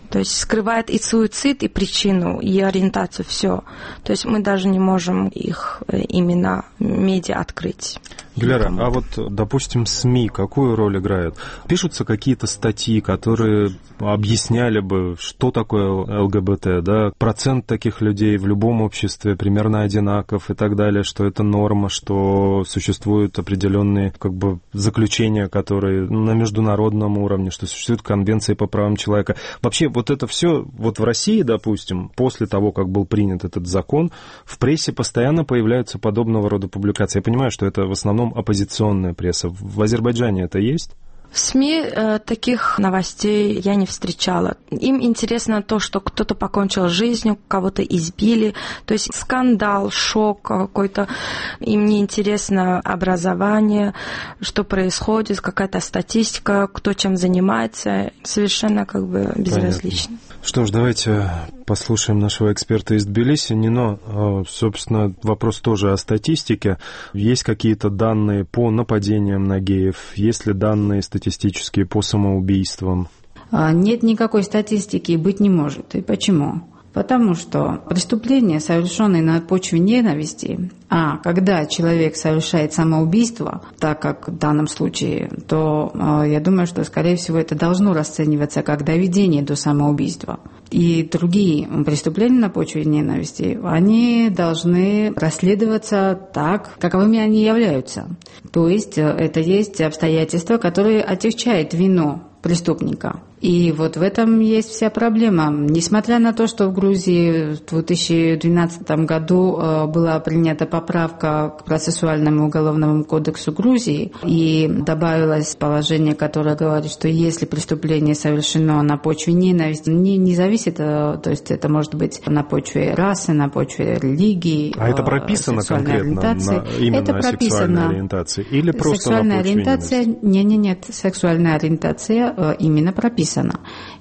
То есть скрывает и суицид, и причину, и ориентацию, все. То есть мы даже не можем их имена в медиа открыть. Диляра, а вот, допустим, СМИ какую роль играют? Пишутся какие-то статьи, которые объясняли бы, что такое ЛГБТ, да, процент таких людей в любом обществе примерно одинаков и так далее, что это норма, что существуют определенные как бы заключения, которые на международном уровне, что существуют конвенции по правам человека. Вообще вот это все, вот в России, допустим, после того, как был принят этот закон, в прессе постоянно появляются подобного рода публикации. Я понимаю, что это в основном оппозиционная пресса. В Азербайджане это есть? В СМИ э, таких новостей я не встречала. Им интересно то, что кто-то покончил с жизнью, кого-то избили. То есть скандал, шок какой-то. Им не интересно образование, что происходит, какая-то статистика, кто чем занимается. Совершенно как бы безразлично. Понятно. Что ж, давайте послушаем нашего эксперта из Тбилиси. Нино, собственно, вопрос тоже о статистике. Есть какие-то данные по нападениям на геев? Есть ли данные статистические по самоубийствам? Нет никакой статистики и быть не может. И почему? Потому что преступления, совершенные на почве ненависти, а когда человек совершает самоубийство, так как в данном случае, то э, я думаю, что, скорее всего, это должно расцениваться как доведение до самоубийства. И другие преступления на почве ненависти, они должны расследоваться так, каковыми они являются. То есть это есть обстоятельства, которые отягчают вину преступника. И вот в этом есть вся проблема. Несмотря на то, что в Грузии в две тысячи двенадцатом году была принята поправка к процессуальному уголовному кодексу Грузии, и добавилось положение, которое говорит, что если преступление совершено на почве ненависти, не, не зависит, то есть это может быть на почве расы, на почве религии, а это прописано конкретно на, именно это на прописано. Сексуальной ориентации? Или просто сексуальная на почве ориентация? ненависти? Нет, нет, нет. Сексуальная ориентация именно прописана.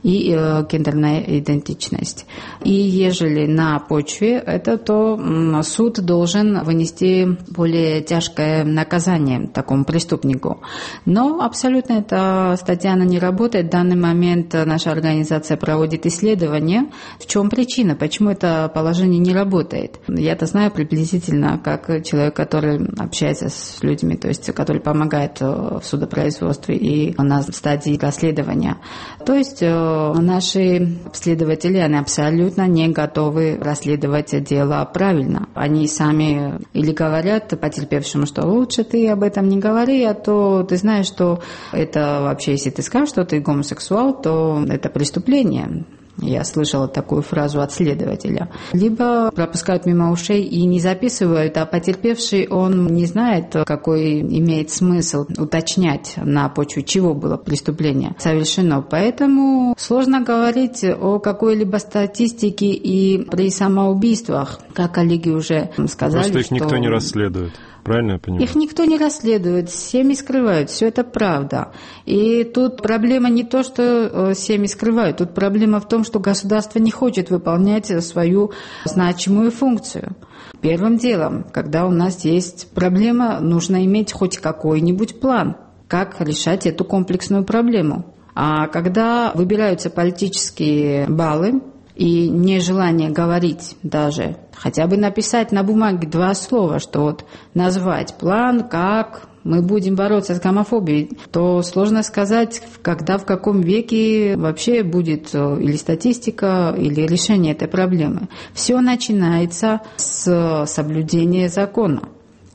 И э, гендерная идентичность. И ежели на почве это, то м, суд должен вынести более тяжкое наказание такому преступнику. Но абсолютно эта статья она не работает. В данный момент наша организация проводит исследования. В чем причина? Почему это положение не работает? Я-то знаю приблизительно, как человек, который общается с людьми, то есть который помогает в судопроизводстве и на стадии расследования. То есть наши следователи, они абсолютно не готовы расследовать дело правильно. Они сами или говорят потерпевшему, что лучше ты об этом не говори, а то ты знаешь, что это вообще, если ты скажешь, что ты гомосексуал, то это преступление. Я слышала такую фразу от следователя. Либо пропускают мимо ушей и не записывают, а потерпевший, он не знает, какой имеет смысл уточнять, на почве чего было преступление совершено. Поэтому сложно говорить о какой-либо статистике и при самоубийствах. Как коллеги уже сказали, просто их что... никто не расследует. Правильно я понимаю? Их никто не расследует, семьи скрывают, все это правда. И тут проблема не то, что семьи скрывают, тут проблема в том, что государство не хочет выполнять свою значимую функцию. Первым делом, когда у нас есть проблема, нужно иметь хоть какой-нибудь план, как решать эту комплексную проблему. А когда выбираются политические баллы, и нежелание говорить даже, хотя бы написать на бумаге два слова, что вот назвать план, как мы будем бороться с гомофобией, то сложно сказать, когда, в каком веке вообще будет или статистика, или решение этой проблемы. Все начинается с соблюдения закона.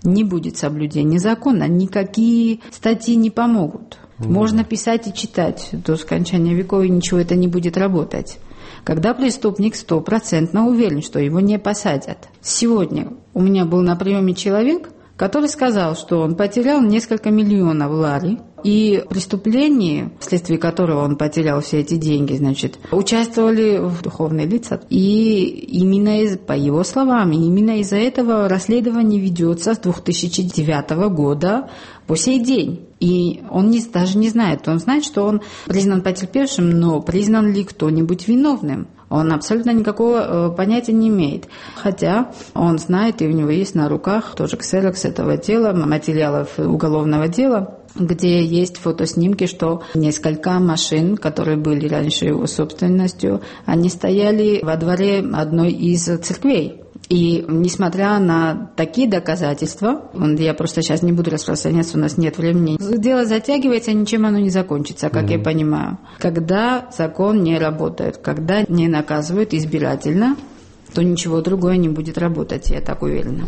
Не будет соблюдения закона, никакие статьи не помогут. Можно писать и читать до скончания веков, и ничего это не будет работать. Когда преступник стопроцентно уверен, что его не посадят. Сегодня у меня был на приеме человек, который сказал, что он потерял несколько миллионов лари, и в преступлении, вследствие которого он потерял все эти деньги, значит, участвовали духовные лица. И именно из, по его словам, именно из-за этого расследование ведется с две тысячи девятого года по сей день. И он не, даже не знает, он знает, что он признан потерпевшим, но признан ли кто-нибудь виновным? Он абсолютно никакого понятия не имеет. Хотя он знает, и у него есть на руках тоже ксерокс этого дела, материалов уголовного дела, где есть фотоснимки, что несколько машин, которые были раньше его собственностью, они стояли во дворе одной из церквей. И несмотря на такие доказательства, я просто сейчас не буду распространяться, у нас нет времени, дело затягивается, ничем оно не закончится, как mm-hmm. я понимаю. Когда закон не работает, когда не наказывают избирательно, то ничего другое не будет работать, я так уверена.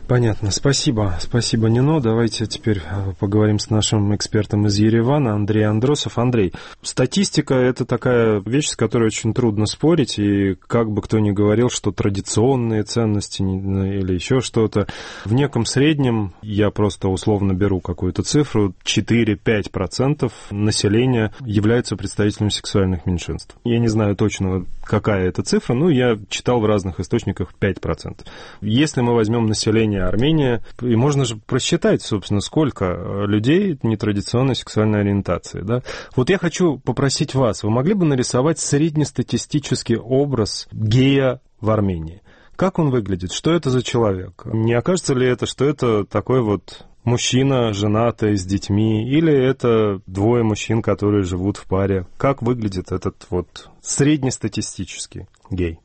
Понятно. Спасибо. Спасибо, Нино. Давайте теперь поговорим с нашим экспертом из Еревана, Андрей Андросов. Андрей, статистика – это такая вещь, с которой очень трудно спорить, и как бы кто ни говорил, что традиционные ценности или еще что-то, в неком среднем, я просто условно беру какую-то цифру, четыре-пять процентов населения являются представителями сексуальных меньшинств. Я не знаю точно, какая это цифра, но я читал в разных источниках пять процентов. Если мы возьмем население Армении, и можно же просчитать, собственно, сколько людей нетрадиционной сексуальной ориентации. Да? Вот я хочу попросить вас, вы могли бы нарисовать среднестатистический образ гея в Армении? Как он выглядит? Что это за человек? Не окажется ли это, что это такой вот мужчина, женатый, с детьми, или это двое мужчин, которые живут в паре? Как выглядит этот вот среднестатистический гей?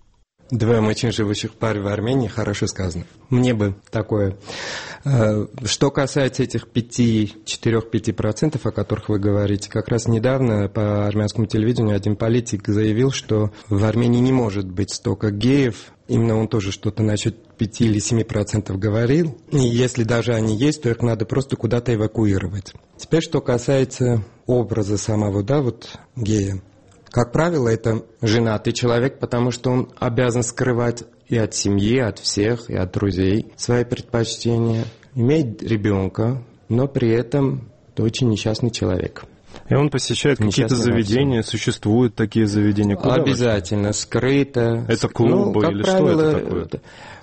Двое мужчин, живущих в паре в Армении, хорошо сказано. Мне бы такое. Что касается этих четыре-пять процентов, о которых вы говорите, как раз недавно по армянскому телевидению один политик заявил, что в Армении не может быть столько геев. Именно он тоже что-то насчет пять или семь процентов говорил. И если даже они есть, то их надо просто куда-то эвакуировать. Теперь, что касается образа самого, да, вот гея. Как правило, это женатый человек, потому что он обязан скрывать и от семьи, от всех, и от друзей свои предпочтения. Иметь ребенка, но при этом это очень несчастный человек. И он посещает какие-то заведения, существуют такие заведения? Куда обязательно, вы? Скрыто. Это клубы, ну, или правило, что это такое?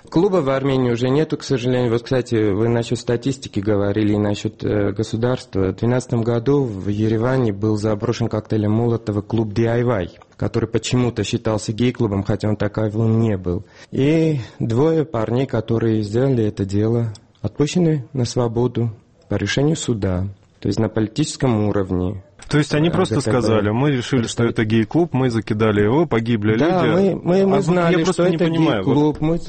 Клуба в Армении уже нету, к сожалению. Вот, кстати, вы насчет статистики говорили и насчет э, государства. В две тысячи двенадцатом году в Ереване был заброшен коктейлем Молотова клуб ди ай вай, который почему-то считался гей-клубом, хотя он таковым не был. И двое парней, которые сделали это дело, отпущены на свободу по решению суда. То есть на политическом уровне. То есть они просто сказали, мы решили, что это гей-клуб, мы закидали его, погибли да, люди. Да, мы, мы, мы а знали, я что это гей-клуб. Вот мы...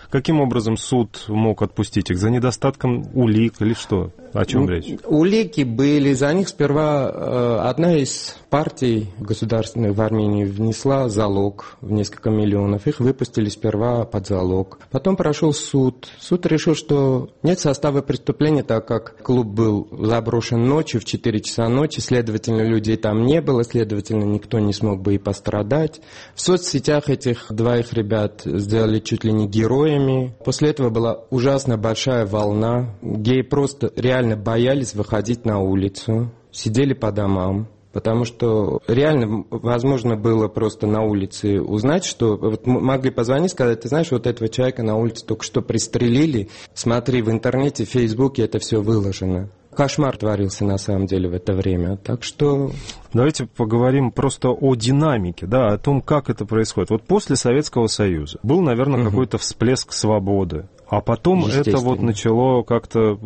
Каким образом суд мог отпустить их? За недостатком улик или что? О чем речь? Улики были. За них сперва э, одна из партий государственных в Армении внесла залог в несколько миллионов. Их выпустили сперва под залог. Потом прошел суд. Суд решил, что нет состава преступления, так как клуб был заброшен ночью, в четыре часа ночи. Следовательно, людей там не было. Следовательно, никто не смог бы и пострадать. В соцсетях этих двоих ребят сделали чуть ли не героями. После этого была ужасно большая волна. Геи просто реально боялись выходить на улицу, сидели по домам, потому что реально возможно было просто на улице узнать, что вот могли позвонить, сказать, ты знаешь, вот этого человека на улице только что пристрелили, смотри, в интернете, в Фейсбуке это все выложено. Кошмар творился на самом деле в это время, так что... Давайте поговорим просто о динамике, да, о том, как это происходит. Вот после Советского Союза был, наверное, угу. какой-то всплеск свободы, а потом это вот начало как-то...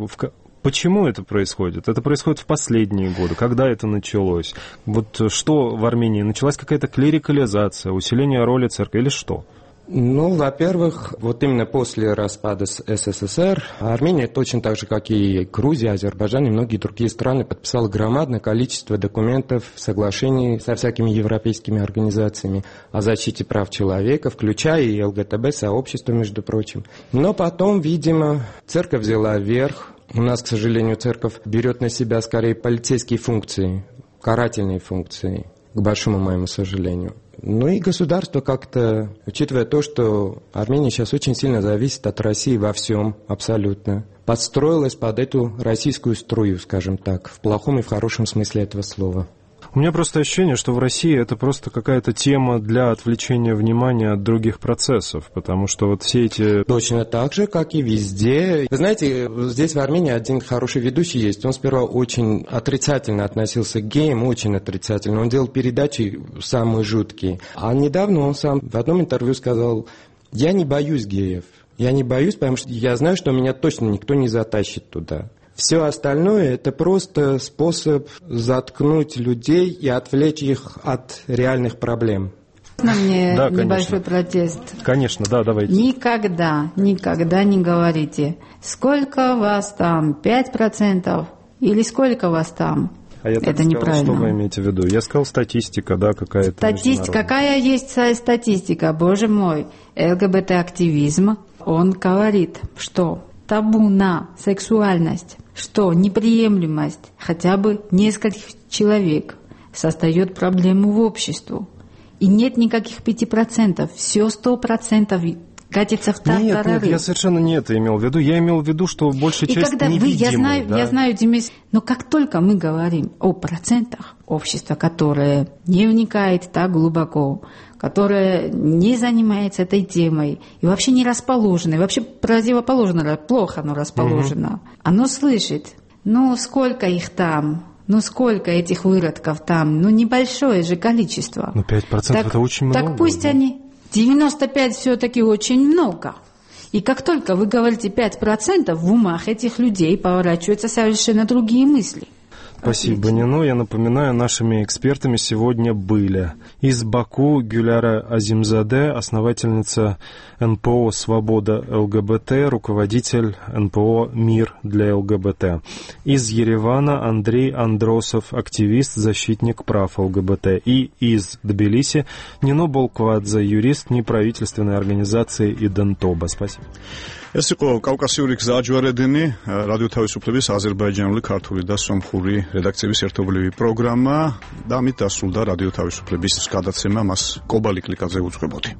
Почему это происходит? Это происходит в последние годы. Когда это началось? Вот что в Армении? Началась какая-то клерикализация, усиление роли церкви или что? Ну, во-первых, вот именно после распада СССР Армения точно так же, как и Грузия, Азербайджан и многие другие страны подписала громадное количество документов, соглашений со всякими европейскими организациями о защите прав человека, включая и ЛГТБ-сообщество, между прочим. Но потом, видимо, церковь взяла верх. У нас, к сожалению, церковь берет на себя скорее полицейские функции, карательные функции, к большому моему сожалению. Ну и государство как-то, учитывая то, что Армения сейчас очень сильно зависит от России во всем, абсолютно, подстроилась под эту российскую струю, скажем так, в плохом и в хорошем смысле этого слова. У меня просто ощущение, что в России это просто какая-то тема для отвлечения внимания от других процессов, потому что вот все эти... Точно так же, как и везде. Вы знаете, здесь в Армении один хороший ведущий есть. Он сперва очень отрицательно относился к геям, очень отрицательно. Он делал передачи самые жуткие. А недавно он сам в одном интервью сказал, я не боюсь геев. Я не боюсь, потому что я знаю, что меня точно никто не затащит туда. Все остальное – это просто способ заткнуть людей и отвлечь их от реальных проблем. На мне да, небольшой протест. Конечно, да, давайте. Никогда, никогда не говорите, сколько вас там, пять процентов или сколько вас там. А я так Это сказал, неправильно. Что вы имеете в виду? Я сказал статистика, да, какая-то. Статистика, какая есть статистика, боже мой. ЛГБТ-активизм, он говорит, что табу на сексуальность, что неприемлемость хотя бы нескольких человек создает проблему в обществе. И нет никаких пяти процентов, все сто процентов катится в тартарары. Нет, нет, я совершенно не это имел в виду. Я имел в виду, что большая и часть когда невидимой. Вы, я знаю, да? я знаю, Демис, но как только мы говорим о процентах общества, которое не вникает так глубоко, которое не занимается этой темой и вообще не расположено, и вообще противоположно, плохо оно расположено, угу. Оно слышит, ну сколько их там, ну сколько этих выродков там, ну небольшое же количество. Ну пять процентов это очень много. Так пусть да. они, девяносто пять все-таки очень много. И как только вы говорите пять процентов, в умах этих людей поворачиваются совершенно другие мысли. Спасибо, Нино. Я напоминаю, нашими экспертами сегодня были из Баку Гюляра Азимзаде, основательница эн пэ о «Свобода ЛГБТ», руководитель эн пэ о «Мир для ЛГБТ». Из Еревана Андрей Андросов, активист, защитник прав ЛГБТ. И из Тбилиси Нино Болквадзе, юрист неправительственной организации «Идентоба». Спасибо. ეს იყო კავკასიური გზაჯვარედინი, რადიო თავისუფლების აზერბაიჯანული, ქართული და სომხური რედაქციების ერთობლივი პროგრამა და ამით დასრულდა რადიო თავისუფლების გადაცემა, მას კობალი კლიკაძე უძღვებოდი.